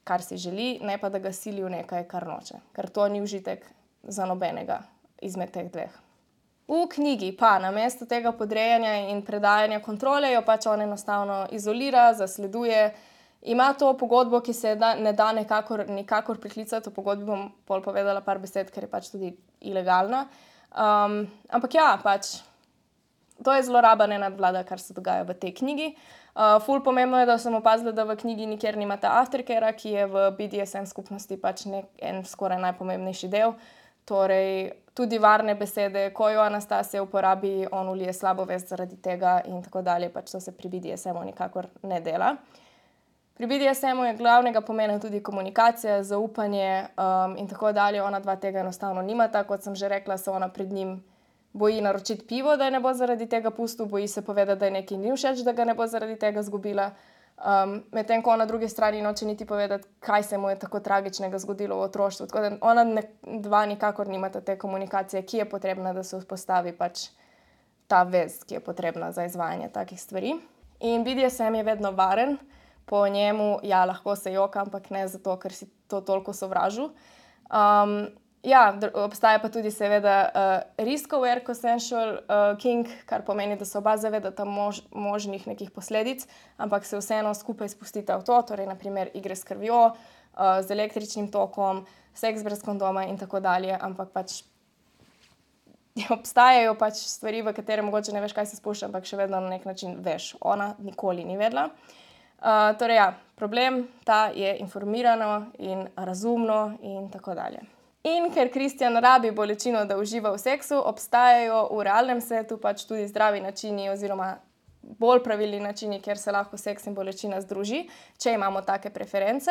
kar si želi, ne pa da ga sili v nekaj, kar noče. Ker to ni užitek za nobenega izmed teh dveh. V knjigi pa namesto tega podrejanja in predajanja kontrole jo pač on enostavno izolira, zasleduje, ima to pogodbo, ki se da, ne da nekakor, nikakor priklicati, o pogodbi bom pol povedala par besed, ker je pač tudi ilegalna. Um, ampak ja, pač to je zloraba, ne nadvlada, kar se dogaja v tej knjigi. Uh, ful pomembno je, da sem opazila, da v knjigi nikjer nimata aftercarea, ki je v B D S M skupnosti pač nek, en skoraj najpomembnejši del. Torej, tudi varne besede, ko jo Anastasija uporabi, on ulije slabo vest zaradi tega in tako dalje, pač to se pri B D S M-u nikakor ne dela. Pri B D S M-u je glavnega pomena tudi komunikacija, zaupanje um, in tako dalje. Ona dva tega enostavno nimata, kot sem že rekla, se ona pred njim boji naročiti pivo, da je ne bo zaradi tega pustil, boji se povedati, da je nekaj ni všeč, da ga ne bo zaradi tega zgubila. Um, Medtem ko na drugi strani noče niti povedati, kaj se mu je tako tragičnega zgodilo v otroštvu. Tako da ona ne, dva nikakor nimata te komunikacije, ki je potrebna, da se vzpostavi pač ta vez, ki je potrebna za izvajanje takih stvari. In B D S M je vedno varen, po njemu, ja, lahko se joka, ampak ne zato, ker si to toliko sovražil. Um, ja, obstaja pa tudi seveda uh, risk-aware consensual uh, kink, kar pomeni, da se oba zavedata mož, možnih nekih posledic, ampak se vseeno skupaj spustita v to, torej naprimer igre s krvjo, uh, z električnim tokom, seks brez kondoma in tako dalje, ampak pač obstajajo pač stvari, v katere mogoče ne veš, kaj se spušča, ampak še vedno na nek način veš. Ona nikoli ni vedela. Uh, torej ja, problem ta je informirano in razumno in tako dalje. In ker Kristjan rabi bolečino, da uživa v seksu, obstajajo v realnem svetu pač tudi zdravi načini oziroma bolj pravilni načini, kjer se lahko seks in bolečina združi, če imamo take preference.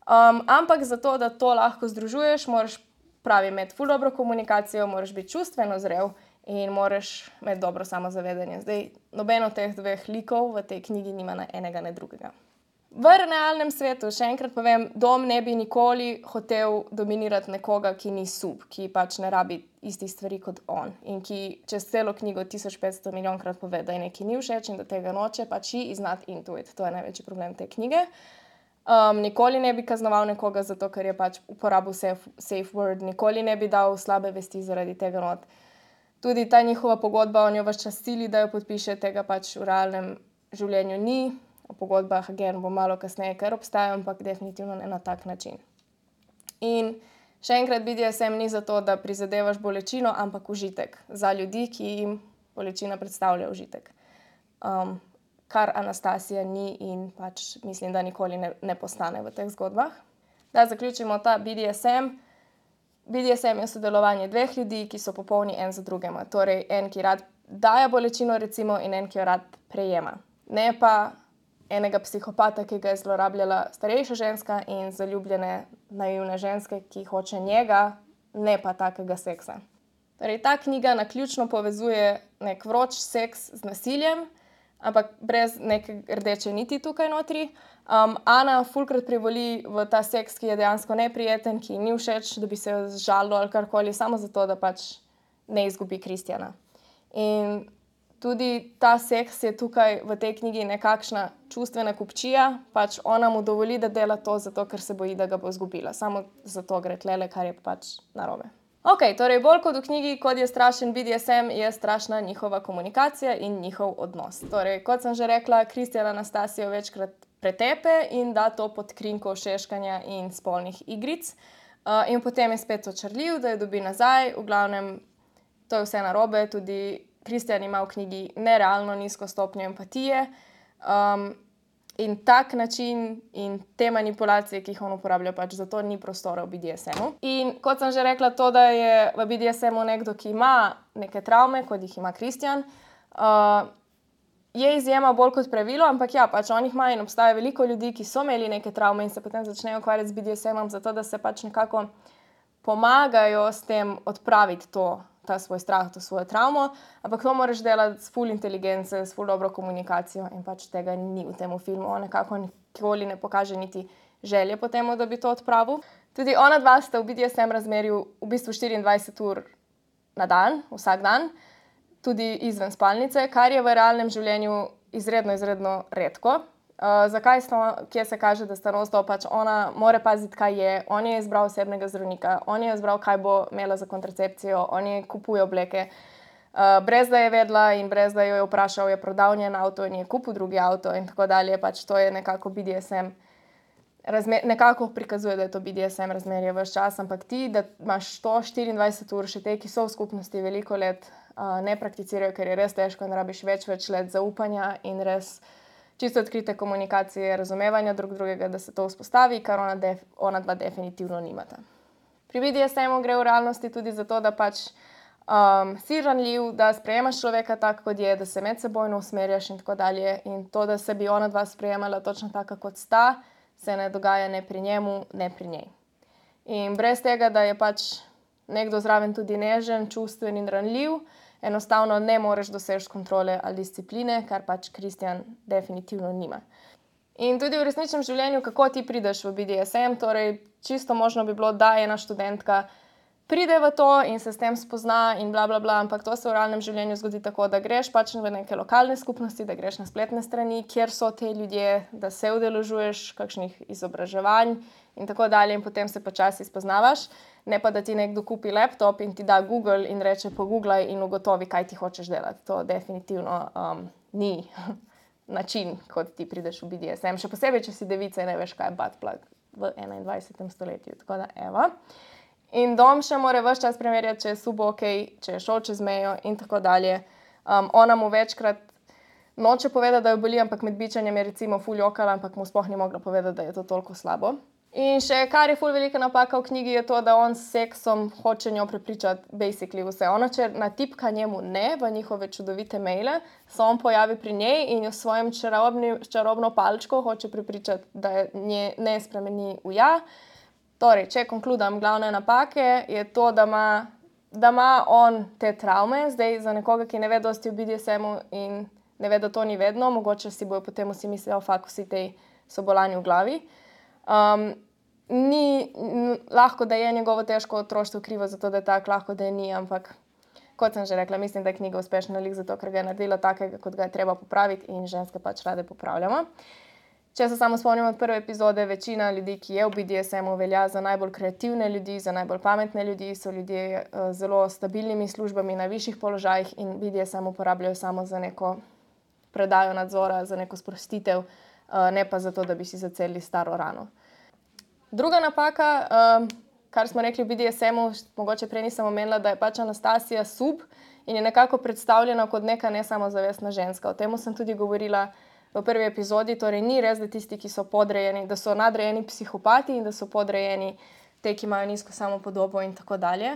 Um, ampak zato, da to lahko združuješ, moraš pravi imeti ful dobro komunikacijo, moraš biti čustveno zrel in moraš imeti dobro samozavedanje. Zdaj, noben od teh dveh likov v tej knjigi nima ne enega, ne drugega. V realnem svetu, še enkrat povem, Dom ne bi nikoli hotel dominirati nekoga, ki ni sub, ki pač ne rabi istih stvari kot on in ki čez celo knjigo tisoč petsto milijonkrat pove, da je nekaj ni všeč in da tega noče, pač he is not into it. To je največji problem te knjige. Um, nikoli ne bi kaznoval nekoga zato, ker je pač uporabil safe, safe word, nikoli ne bi dal slabe vesti zaradi tega not. Tudi ta njihova pogodba, on jo ves čas sili, da jo podpiše, tega pač v realnem življenju ni. O pogodbah, again, bo malo kasneje, ker obstajajo, ampak definitivno ne na tak način. In še enkrat, B D S M ni zato, da prizadevaš bolečino, ampak užitek za ljudi, ki jim bolečina predstavlja užitek. Um, kar Anastasija ni in pač mislim, da nikoli ne, ne postane v teh zgodbah. Da zaključimo ta B D S M. B D S M je sodelovanje dveh ljudi, ki so popolni en za drugima. Torej, en, ki rad daje bolečino, recimo, in en, ki jo rad prejema. Ne pa enega psihopata, ki ga je zlorabljala starejša ženska in zaljubljene naivne ženske, ki hoče njega, ne pa takega seksa. Torej, ta knjiga naključno povezuje nek vroč seks z nasiljem, ampak brez neke rdeče niti tukaj notri. Um, Ana fulkrat privoli v ta seks, ki je dejansko neprijeten, ki ni všeč, da bi se jo zžalilo ali karkoli, samo zato, da pač ne izgubi Kristjana. In tudi ta seks je tukaj v tej knjigi nekakšna čustvena kupčija, pač ona mu dovoli, da dela to zato, ker se boji, da ga bo izgubila. Samo zato gre tlele, kar je pač narobe. Ok, torej bolj kot v knjigi, kot je strašen B D S M, je strašna njihova komunikacija in njihov odnos. Torej, kot sem že rekla, Kristjan Anastasijo večkrat pretepe in da to pod krinko šeškanja in spolnih igric. Uh, in potem je spet očarljiv, da jo dobi nazaj. V glavnem, to je vse narobe, tudi Kristjan ima v knjigi nerealno nizko stopnjo empatije um, in tak način in te manipulacije, ki jih on uporablja, pač zato ni prostora v B D S M-u. In kot sem že rekla, to, da je v B D S M-u nekdo, ki ima neke travme, kot jih ima Kristjan, uh, je izjema bolj kot pravilo, ampak ja, pač on jih ima in obstaja veliko ljudi, ki so imeli neke travme in se potem začnejo ukvarjati z B D S M-om, zato da se pač nekako pomagajo s tem odpraviti to, ta svoj strah, to svojo travmo, ampak to moraš delati s full inteligence, s full dobro komunikacijo in pač tega ni v tem filmu. On nekako nikoli ne pokaže niti želje po temu, da bi to odpravil. Tudi ona dva sta v B D S M razmerju v bistvu štiriindvajset ur na dan, vsak dan, tudi izven spalnice, kar je v realnem življenju izredno, izredno redko. Uh, zakaj sta, kje se kaže, da sta non-stop, pač ona mora paziti, kaj je, on je izbral osebnega zdravnika, on je izbral, kaj bo imela za kontracepcijo, on je kupuje obleke, uh, brez da je vedela in brez da jo je vprašal, je prodal njen avto in je kupil drugi avto in tako dalje, pač to je nekako B D S M, razmer, nekako prikazuje, da je to B D S M razmerje ves čas, ampak ti, da imaš to štiriindvajset ur, še te, ki so v skupnosti veliko let, uh, ne prakticirajo, ker je res težko in rabiš več, več let zaupanja in res čisto odkrite komunikacije, razumevanja drug drugega, da se to vzpostavi, kar ona, def, ona dva definitivno nimata. Pri B D S M-u gre v realnosti tudi za to, da pač um, si ranljiv, da sprejemaš človeka tak, kot je, da se medsebojno usmerjaš in tako dalje. In to, da se bi ona dva sprejemala točno taka, kot sta, se ne dogaja ne pri njemu, ne pri njej. In brez tega, da je pač nekdo zraven tudi nežen, čustven in ranljiv, enostavno ne moreš doseči kontrole ali discipline, kar pač Kristjan definitivno nima. In tudi v resničnem življenju, kako ti prideš v B D S M, torej čisto možno bi bilo, da ena študentka pride v to in se s tem spozna in bla, bla, bla, ampak to se v realnem življenju zgodi tako, da greš pač v neke lokalne skupnosti, da greš na spletne strani, kjer so te ljudje, da se udeležuješ kakšnih izobraževanj in tako dalje in potem se počasi spoznavaš, ne pa da ti nekdo kupi laptop in ti da Google in reče pogooglaj in ugotovi, kaj ti hočeš delati. To definitivno um, ni način, kot ti prideš v B D S M, še posebej, če si devica in ne veš, kaj je butt plug v enaindvajsetem stoletju. Tako da, evo. In Dom še mora ves čas preverjati, če je subo ok, če je šel čez mejo in tako dalje. Um, ona mu večkrat noče povedati, da jo boli, ampak med bičanjem je recimo ful jokala, ampak mu sploh ni mogla povedati, da je to toliko slabo. In še kar je ful velika napaka v knjigi je to, da on s seksom hoče njo prepričati basically vse. Ona, če natipka njemu ne v njihove čudovite maile, se on pojavi pri njej in jo s svojim čarobno palčko hoče prepričati, da je nje ne spremeni v ja. Torej, če konkludam glavne napake, je to, da ima, da ima on te travme, zdaj za nekoga, ki ne ve dosti o B D S M-u in ne ve, da to ni vedno, mogoče si bojo potem vsi mislijo, fak, vsi tej so bolani v glavi. Um, ni n, lahko, da je njegovo težko otroštvo krivo za to, da je tako, lahko, da je ni, ampak kot sem že rekla, mislim, da je knjiga uspešna lik zato, ker ga je naredila takega, kot ga je treba popraviti in ženske pač rade popravljamo. Če se samo spomnimo od prve epizode, večina ljudi, ki je v B D S M-u, velja za najbolj kreativne ljudi, za najbolj pametne ljudi, so ljudje uh, zelo stabilnimi službami na višjih položajih in B D S M uporabljajo samo za neko predajo nadzora, za neko sprostitev, uh, ne pa zato, da bi si zacelili staro rano. Druga napaka, um, kar smo rekli v B D S M-u, mogoče prej nisem omenila, da je pač Anastasija sub in je nekako predstavljena kot neka nesamozavestna ženska. O tem sem tudi govorila v prvi epizodi, torej ni res, da tisti, ki so podrejeni, da so nadrejeni psihopati in da so podrejeni te, ki imajo nizko samopodobo in tako dalje.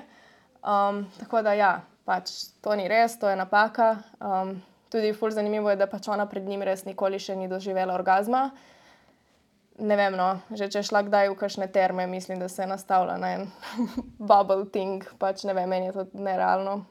Um, tako da ja, pač to ni res, to je napaka. Um, tudi ful zanimivo je, da pač ona pred njim res nikoli še ni doživela orgazma. Ne vem, no, že če je šla kdaj v kakšne terme, mislim, da se je nastavila na en bubble thing, pač ne vem, meni je to nerealno.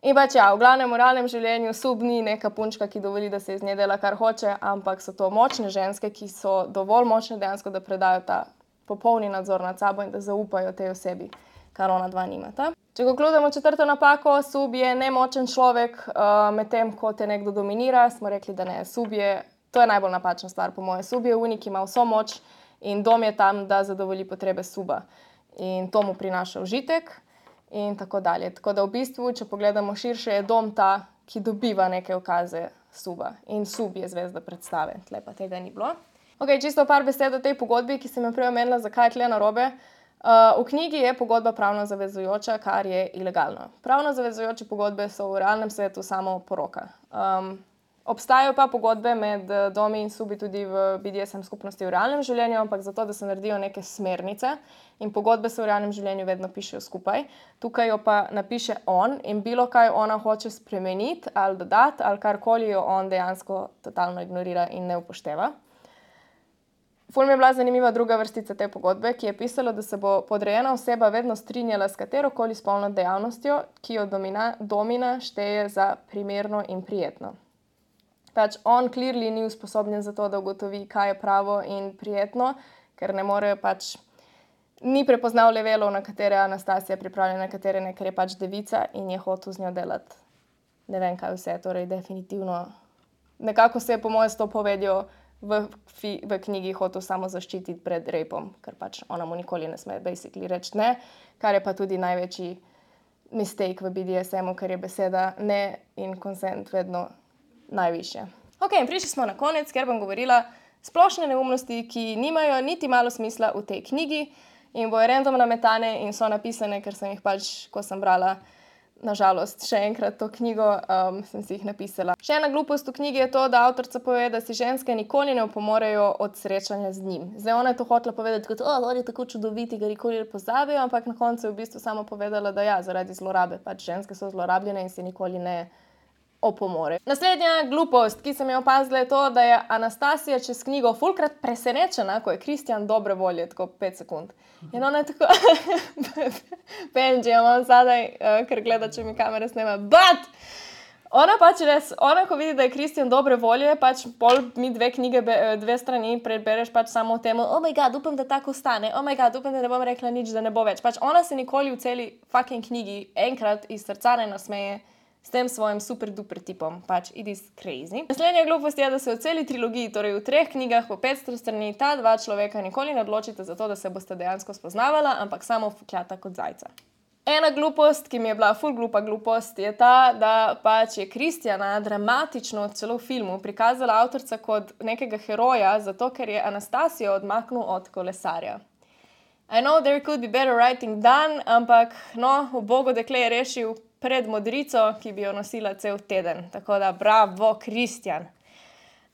In pač ja, v glavnem v realnem življenju sub ni neka punčka, ki dovoli, da se iz nje dela kar hoče, ampak so to močne ženske, ki so dovolj močne dejansko, da predajo ta popolni nadzor nad sabo in da zaupajo tej osebi, kar ona dva nimata. Če konkludimo četrto napako, sub je nemočen človek, uh, medtem ko te nekdo dominira, smo rekli, da ne, sub je, to je najbolj napačna stvar po moje, sub je unik, ima vso moč in Dom je tam, da zadovolji potrebe suba in to mu prinaša užitek. In tako dalje. Tako da v bistvu, če pogledamo širše, je Dom ta, ki dobiva neke ukaze suba. In sub je zvezda predstave. Tle pa tega ni bilo. Ok, čisto par besed o tej pogodbi, ki sem jo prej omenila, zakaj je tle narobe. Uh, v knjigi je pogodba pravno zavezujoča, kar je ilegalno. Pravno zavezujoče pogodbe so v realnem svetu samo poroka. Um, Obstajajo pa pogodbe med Domi in subi tudi v B D S M skupnosti v realnem življenju, ampak zato, da se naredijo neke smernice in pogodbe se v realnem življenju vedno pišejo skupaj. Tukaj jo pa napiše on in bilo kaj ona hoče spremeniti ali dodati ali karkoli jo on dejansko totalno ignorira in ne upošteva. Ful mi je bila zanimiva druga vrstica te pogodbe, ki je pisalo, da se bo podrejena oseba vedno strinjala s katerokoli spolno dejavnostjo, ki jo domina, domina šteje za primerno in prijetno. Pač on clearly ni usposobljen za to, da ugotovi, kaj je pravo in prijetno, ker ne more pač, ni prepoznal levelov, na katere Anastasija pripravljena, na katere ne, ker je pač devica in je hotel z njo delati ne vem kaj vse, torej definitivno. Nekako se je po moje s to povedjo v, v knjigi hotel samo zaščititi pred rapom, ker pač ona mu nikoli ne sme basically reči ne, kar je pa tudi največji mistake v B D S M-u, ker je beseda ne in consent vedno najvišje. Ok, in prišli smo na konec, ker bom govorila splošne neumnosti, ki nimajo niti malo smisla v tej knjigi in bojo random nametane in so napisane, ker sem jih pač, ko sem brala, nažalost, še enkrat to knjigo, um, sem si jih napisala. Še ena glupost v knjigi je to, da avtorica pove, da si ženske nikoli ne opomorejo od srečanja z njim. Zdaj, ona je to hotela povedati kot, o, on je tako čudoviti, ga nikoli ne pozabijo, ampak na koncu je v bistvu samo povedala, da ja, zaradi zlorabe, pač ženske so zlorabljene in se nikoli ne opomore. Naslednja glupost, ki sem jo opazila, je to, da je Anastasija čez knjigo fulkrat presenečena, ko je Kristjan dobre volje, tako pet sekund. In ona je tako, Benji, imam zadaj, uh, ker gleda, če mi kamera snema, but Ona pač res, ona ko vidi, da je Kristjan dobre volje, pač pol mi dve knjige, dve strani prebereš pač samo o tem, oh my god, upam, da tako ostane, oh my god, upam, da ne bom rekla nič, da ne bo več. Pač ona se nikoli v celi fucking knjigi enkrat iz srca ne nasmeje s tem svojim super duper tipom. Pač it is crazy. Naslednja glupost je, da se v celi trilogiji, torej v treh knjigah po petsto strani, ta dva človeka nikoli ne odločite za to, da se boste dejansko spoznavala, ampak samo fukljata kot zajca. Ena glupost, ki mi je bila ful glupa glupost, je ta, da pač je Kristjana dramatično celo v filmu prikazala avtorica kot nekega heroja, zato ker je Anastasijo odmaknil od kolesarja. I know there could be better writing done, ampak no, ubogo dekle je rešil pred modrico, ki bi jo nosila cel teden. Tako da bravo, Kristjan.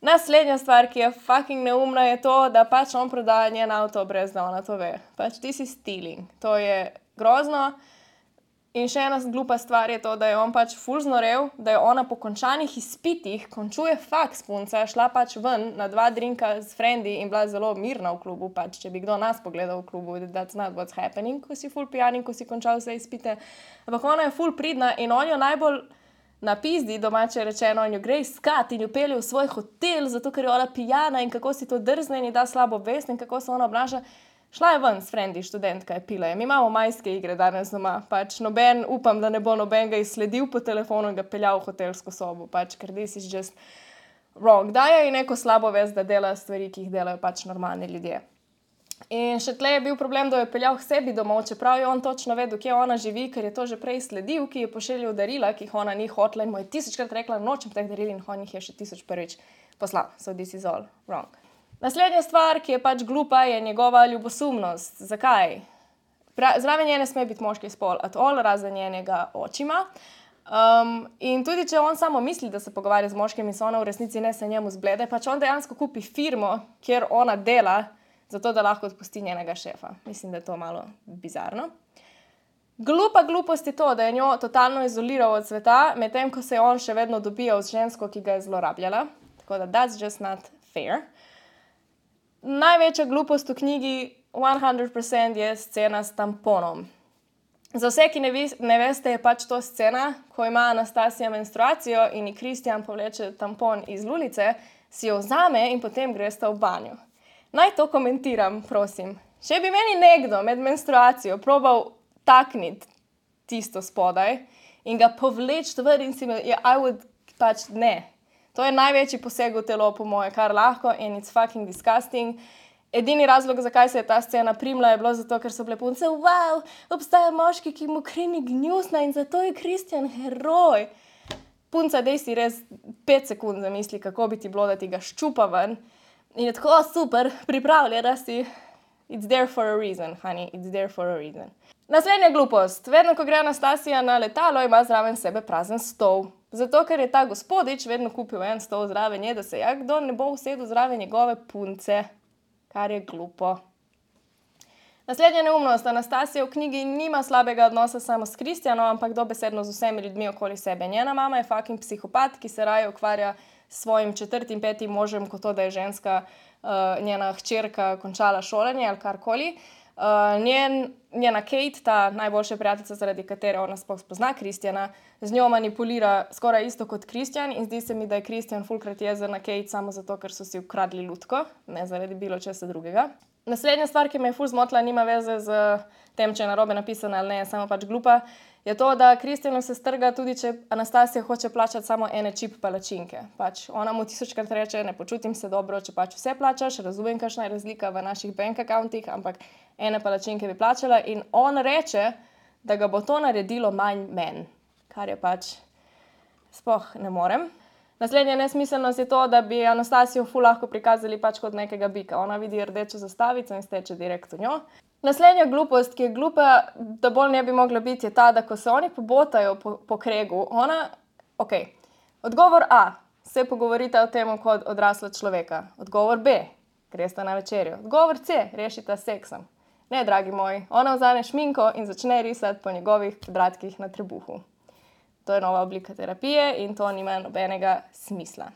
Naslednja stvar, ki je fucking neumna, je to, da pač on prodaja njen avto, brez da ona to ve. Pač this is stealing. To je grozno. In še ena glupa stvar je to, da je on pač ful znorel, da je ona po končanih izpitih, končuje faks punca, šla pač ven na dva drinka s frendi in bila zelo mirna v klubu, pač če bi kdo nas pogledal v klubu, that's not what's happening, ko si ful pijan in ko si končal vse izpite. Ampak ona je ful pridna in on jo najbolj napizdi, domače rečeno, in jo gre iskat in jo pelje v svoj hotel, zato ker je ona pijana in kako si to drzne in ji da slabo vest in kako se ona obnaša. Šla je ven s frendi, študentka je pila. Mi imamo majske igre danes doma. Pač noben, upam, da ne bo noben ga izsledil po telefonu in ga peljal v hotelsko sobo. Pač, ker this is just wrong. Daje ji neko slabo vest, da dela stvari, ki jih delajo pač normalni ljudje. In še tle je bil problem, da jo je peljal k sebi domov, čeprav je on točno vedel, kje ona živi, ker je to že prej sledil, ki je pošiljal darila, ki jih ona ni hotla in mu je tisočkrat rekla, nočem teh daril in on jih je še tisoč prvič poslal. So this is all wrong. Naslednja stvar, ki je pač glupa, je njegova ljubosumnost. Zakaj? Pra, zraven nje ne sme biti moški spol, at all, razen njenega očima. Um, in tudi, če on samo misli, da se pogovarja z moškim in se ona v resnici ne se njemu zblede, pač on dejansko kupi firmo, kjer ona dela, zato da lahko odpusti njenega šefa. Mislim, da je to malo bizarno. Glupa glupost je to, da je njo totalno izoliral od sveta, medtem ko se je on še vedno dobijal z žensko, ki ga je zlorabljala. Tako da that's just not fair. Največja glupost v knjigi sto procent je scena s tamponom. Za vse, ki ne, vi, ne veste, je pač to scena, ko ima Anastasija menstruacijo in ji Kristjan povleče tampon iz lulice, si jo vzame in potem gresta v banjo. Naj to komentiram, prosim. Če bi meni nekdo med menstruacijo probal takniti tisto spodaj in ga povleči ven in si me, yeah, I would pač ne. To je največji poseg v telo, po moje, kar lahko in it's fucking disgusting. Edini razlog, zakaj se je ta scena primla, je bilo zato, ker so bile punce, wow, obstaja moški, ki mu kri ni gnusna in zato je Kristjan heroj. Punca, dej si res pet sekund zamisli, kako bi ti bilo, da ti ga ščupa ven. In je tako super, pripravljena si. It's there for a reason, honey, it's there for a reason. Naslednja glupost. Vedno, ko gre Anastasija na letalo, ima zraven sebe prazen stol. Zato, ker je ta gospodič vedno kupil en stol zraven nje, da se ja kdo ne bo usedel zraven njegove punce, kar je glupo. Naslednja neumnost. Anastasija v knjigi nima slabega odnosa samo s Kristjanom, ampak dobesedno z vsemi ljudmi okoli sebe. Njena mama je fucking psihopat, ki se raje ukvarja s svojim četrtim, petim možem, kot to, da je ženska, uh, njena hčerka končala šolanje ali karkoli. Uh, njen, njena Kate, ta najboljša prijateljica, zaradi katere ona sploh spozna Kristjana, z njo manipulira skoraj isto kot Kristjan in zdi se mi, da je Kristjan fulkrat jezen na Kate samo zato, ker so si ukradli lutko, ne zaradi bilo česa drugega. Naslednja stvar, ki me je ful zmotila, nima veze z tem, če je narobe napisana ali ne, je samo pač glupa, je to, da Kristjanu se strga tudi, če Anastasija hoče plačati samo ene čip palačinke. Pač ona mu tisočkrat reče, ne počutim se dobro, če pač vse plačaš, razumem, kakšna je razlika v naših bank accountih, ampak ene palačinke bi plačala in on reče, da ga bo to naredilo manj men, kar je pač sploh ne morem. Naslednja nesmiselnost je to, da bi Anastasijo ful lahko prikazali pač kot nekega bika. Ona vidi rdečo zastavico in steče direkt v njo. Naslednja glupost, ki je glupa, da bolj ne bi mogla biti, je ta, da ko se oni pobotajo po, po kregu, ona, ok, odgovor A, se pogovorita o tem kot odrasla človeka. Odgovor B, gresta na večerjo. Odgovor C, rešita seksom. Ne, dragi moji, ona vzame šminko in začne risati po njegovih kvadratkih na trebuhu. To je nova oblika terapije in to nima nobenega smisla.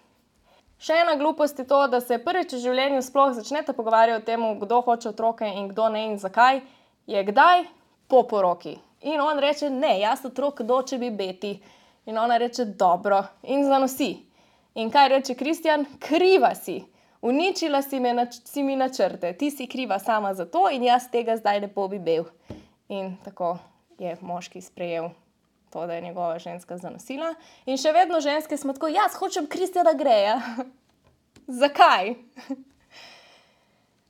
Še ena glupost je to, da se prvič v življenju sploh začnete pogovarjati o tem, kdo hoče otroke in kdo ne in zakaj, je kdaj po poroki. In on reče, ne, jaz otrok doče bi beti. In ona reče, dobro, in zanosi. In kaj reče Kristjan? Kriva si. Uničila si, me, si mi načrte, ti si kriva sama za to in jaz tega zdaj ne bi bil. In tako je moški sprejel to, da je njegova ženska zanosila. In še vedno ženske smo tako, jaz hočem Kristjana Greja. Zakaj?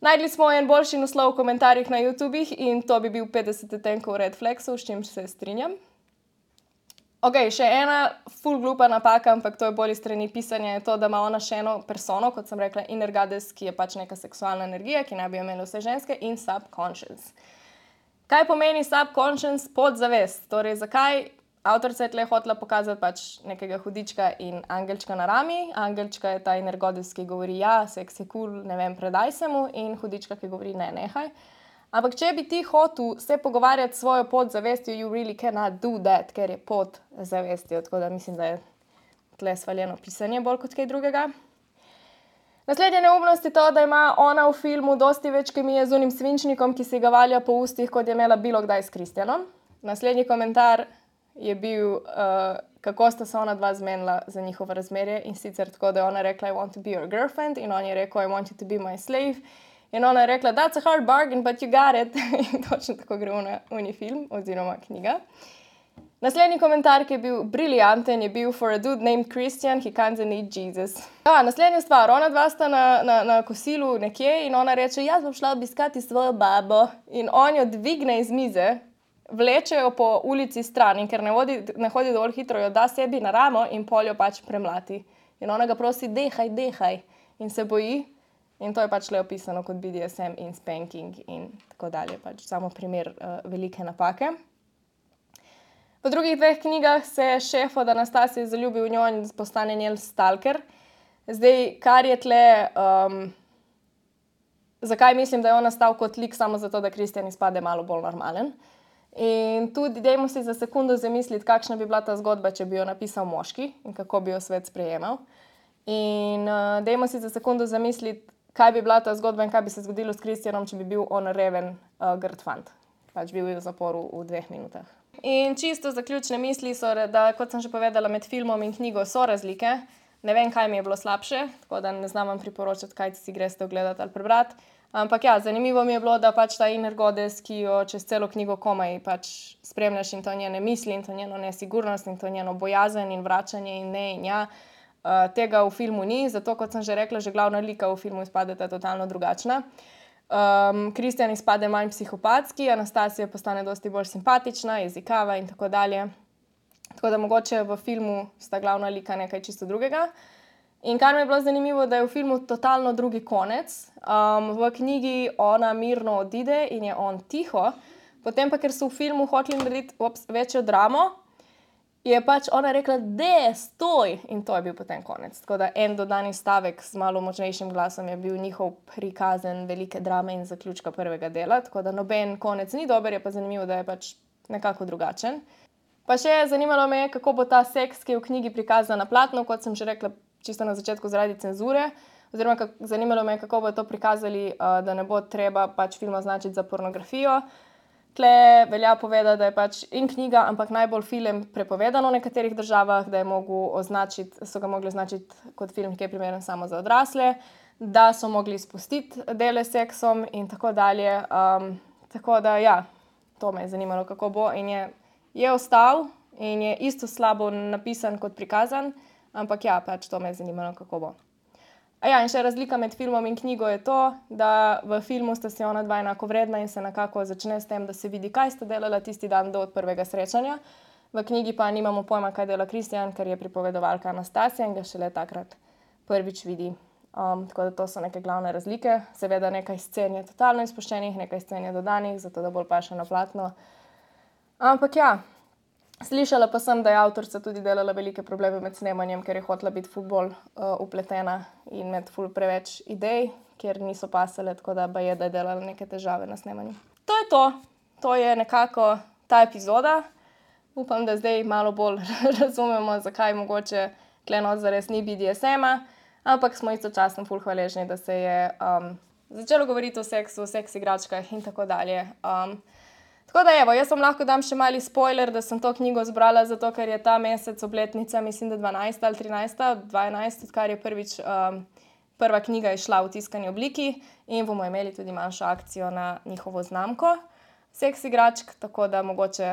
Najdli smo en boljši naslov v komentarjih na YouTubih in to bi bil petdeset odtenkov red flagsov, s čim se strinjam. Ok, še ena ful glupa napaka, ampak to je bolj iz strani pisanja, je to, da ima ona še eno persono, kot sem rekla, inner goddess, ki je pač neka seksualna energija, ki naj bi jo imeli vse ženske, in subconscious. Kaj pomeni subconscious? Podzavest. Torej, zakaj avtorica je tle hotela pokazati pač nekega hudička in angelčka na rami. Angelčka je ta inner goddess, ki govori, ja, seks je cool, ne vem, predaj se mu, in hudička, ki govori, ne, nehaj. Ampak če bi ti hotel se pogovarjati s svojo podzavestjo, you really cannot do that, ker je podzavestjo. Tako da mislim, da je tle svaljeno pisanje bolj kot kaj drugega. Naslednja neumnost je to, da ima ona v filmu dosti več kemije z unim svinčnikom, ki si ga valja po ustih, kot je imela bilo kdaj s Kristjanom. Naslednji komentar je bil, uh, kako sta se ona dva zmenila za njihovo razmerje, in sicer tako, da je ona rekla, I want to be your girlfriend, in on je rekel, I want you to be my slave. In ona je rekla, that's a hard bargain, but you got it. In točno tako gre v uni film, oziroma knjiga. Naslednji komentar, ki je bil briljanten, je bil for a dude named Christian, he kinda need Jesus. Ja, naslednja stvar, ona dva sta na, na, na kosilu nekje in ona reče, jaz bom šla obiskati svojo babo. In on jo dvigne iz mize, vleče jo po ulici stran in ker ne, vodi, ne hodi dovolj hitro, jo da sebi na ramo in pol jo pač premlati. In ona ga prosi, dehaj, dehaj. In se boji. In to je pač le opisano kot B D S M in spanking in tako dalje. Pač samo primer uh, velike napake. V drugih dveh knjigah se šef od Anastasije zaljubi v njo in postane njen stalker. Zdaj, kar je tle, um, zakaj mislim, da je on nastal kot lik samo zato, da Kristjan izpade malo bolj normalen. In tudi dajmo si za sekundo zamisliti, kakšna bi bila ta zgodba, če bi jo napisal moški in kako bi jo svet sprejemal. In uh, dajmo si za sekundo zamisliti, kaj bi bila ta zgodba in kaj bi se zgodilo s Kristjanom, če bi bil on reven uh, grd fant. Pač bil v zaporu v dveh minutah. In čisto zaključne misli so, da, kot sem že povedala, med filmom in knjigo so razlike. Ne vem, kaj mi je bilo slabše, tako da ne znam vam priporočati, kaj si greste ogledati ali prebrati. Ampak ja, zanimivo mi je bilo, da pač ta inner goddess, ki jo čez celo knjigo komaj pač spremljaš in to njene misli in to njeno nesigurnost in to njeno bojazen in vračanje in ne in ja, Uh, tega v filmu ni, zato, kot sem že rekla, že glavna lika v filmu izpadeta totalno drugačna. Um, Kristjan izpade manj psihopatski, Anastasija postane dosti bolj simpatična, jezikava in tako dalje. Tako da mogoče v filmu sta glavna lika nekaj čisto drugega. In kar mi je bilo zanimivo, da je v filmu totalno drugi konec. Um, v knjigi ona mirno odide in je on tiho, potem pa, ker so v filmu hoteli narediti ops, večjo dramo, je pač ona rekla, de, stoj! In to je bil potem konec. Tako da en dodani stavek z malo močnejšim glasom je bil njihov prikazen velike drame in zaključka prvega dela. Tako da noben konec ni dober, je pa zanimivo, da je pač nekako drugačen. Pa še zanimalo me je, kako bo ta seks, ki je v knjigi prikazan na platnu, kot sem že rekla čisto na začetku zaradi cenzure. Oziroma, kak, zanimalo me je, kako bo to prikazali, uh, da ne bo treba pač film označiti za pornografijo. Tle velja povedati, da je pač in knjiga, ampak najbolj film prepovedano v nekaterih državah, da je mogel označiti, so ga mogli označiti kot film, ki je primeren samo za odrasle, da so mogli spustiti dele s seksom in tako dalje. Um, tako da ja, to me je zanimalo, kako bo. In je, je ostal in je isto slabo napisan kot prikazan, ampak ja, pač to me je zanimalo, kako bo. A ja, in še razlika med filmom in knjigo je to, da v filmu sta si ona dva enako vredna in se nekako začne s tem, da se vidi, kaj sta delala tisti dan do prvega srečanja. V knjigi pa nimamo pojma, kaj dela Kristjan, ker je pripovedovalka Anastasija in ga šele takrat prvič vidi. Um, tako da to so neke glavne razlike. Seveda nekaj scen je totalno izpuščenih, nekaj scen je dodanih, zato da bolj paše na platno. Ampak ja, slišala pa sem, da je avtorica tudi delala velike probleme med snemanjem, ker je hotela biti ful bolj uh, upletena in med ful preveč idej, ker niso pasale, tako da je, da je delala neke težave na snemanju. To je to. To je nekako ta epizoda. Upam, da zdaj malo bolj razumemo, zakaj mogoče Klenot zares ni B D S M-a, ampak smo istočasno ful hvaležni, da se je um, začelo govoriti o seksu, o seks igračkah in tako dalje. Um, Tako da, evo, jaz vam lahko dam še mali spoiler, da sem to knjigo zbrala, zato ker je ta mesec obletnica, mislim, da dvanajsta ali trinajsta, dvanajst, odkar je prvič um, prva knjiga išla v tiskani obliki in bomo imeli tudi manjšo akcijo na njihovo znamko Seks igračk, tako da mogoče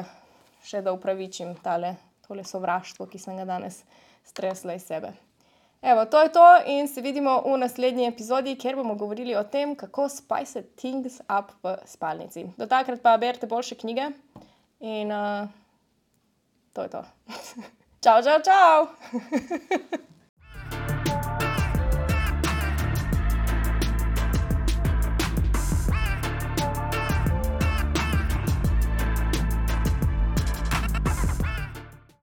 še da upravičim tale, tole sovraštvo, ki sem ga danes stresla iz sebe. Evo, to je to in se vidimo v naslednji epizodi, kjer bomo govorili o tem, kako spice things up v spalnici. Do takrat pa berite boljše knjige in uh, to je to. Čau, čau, čau!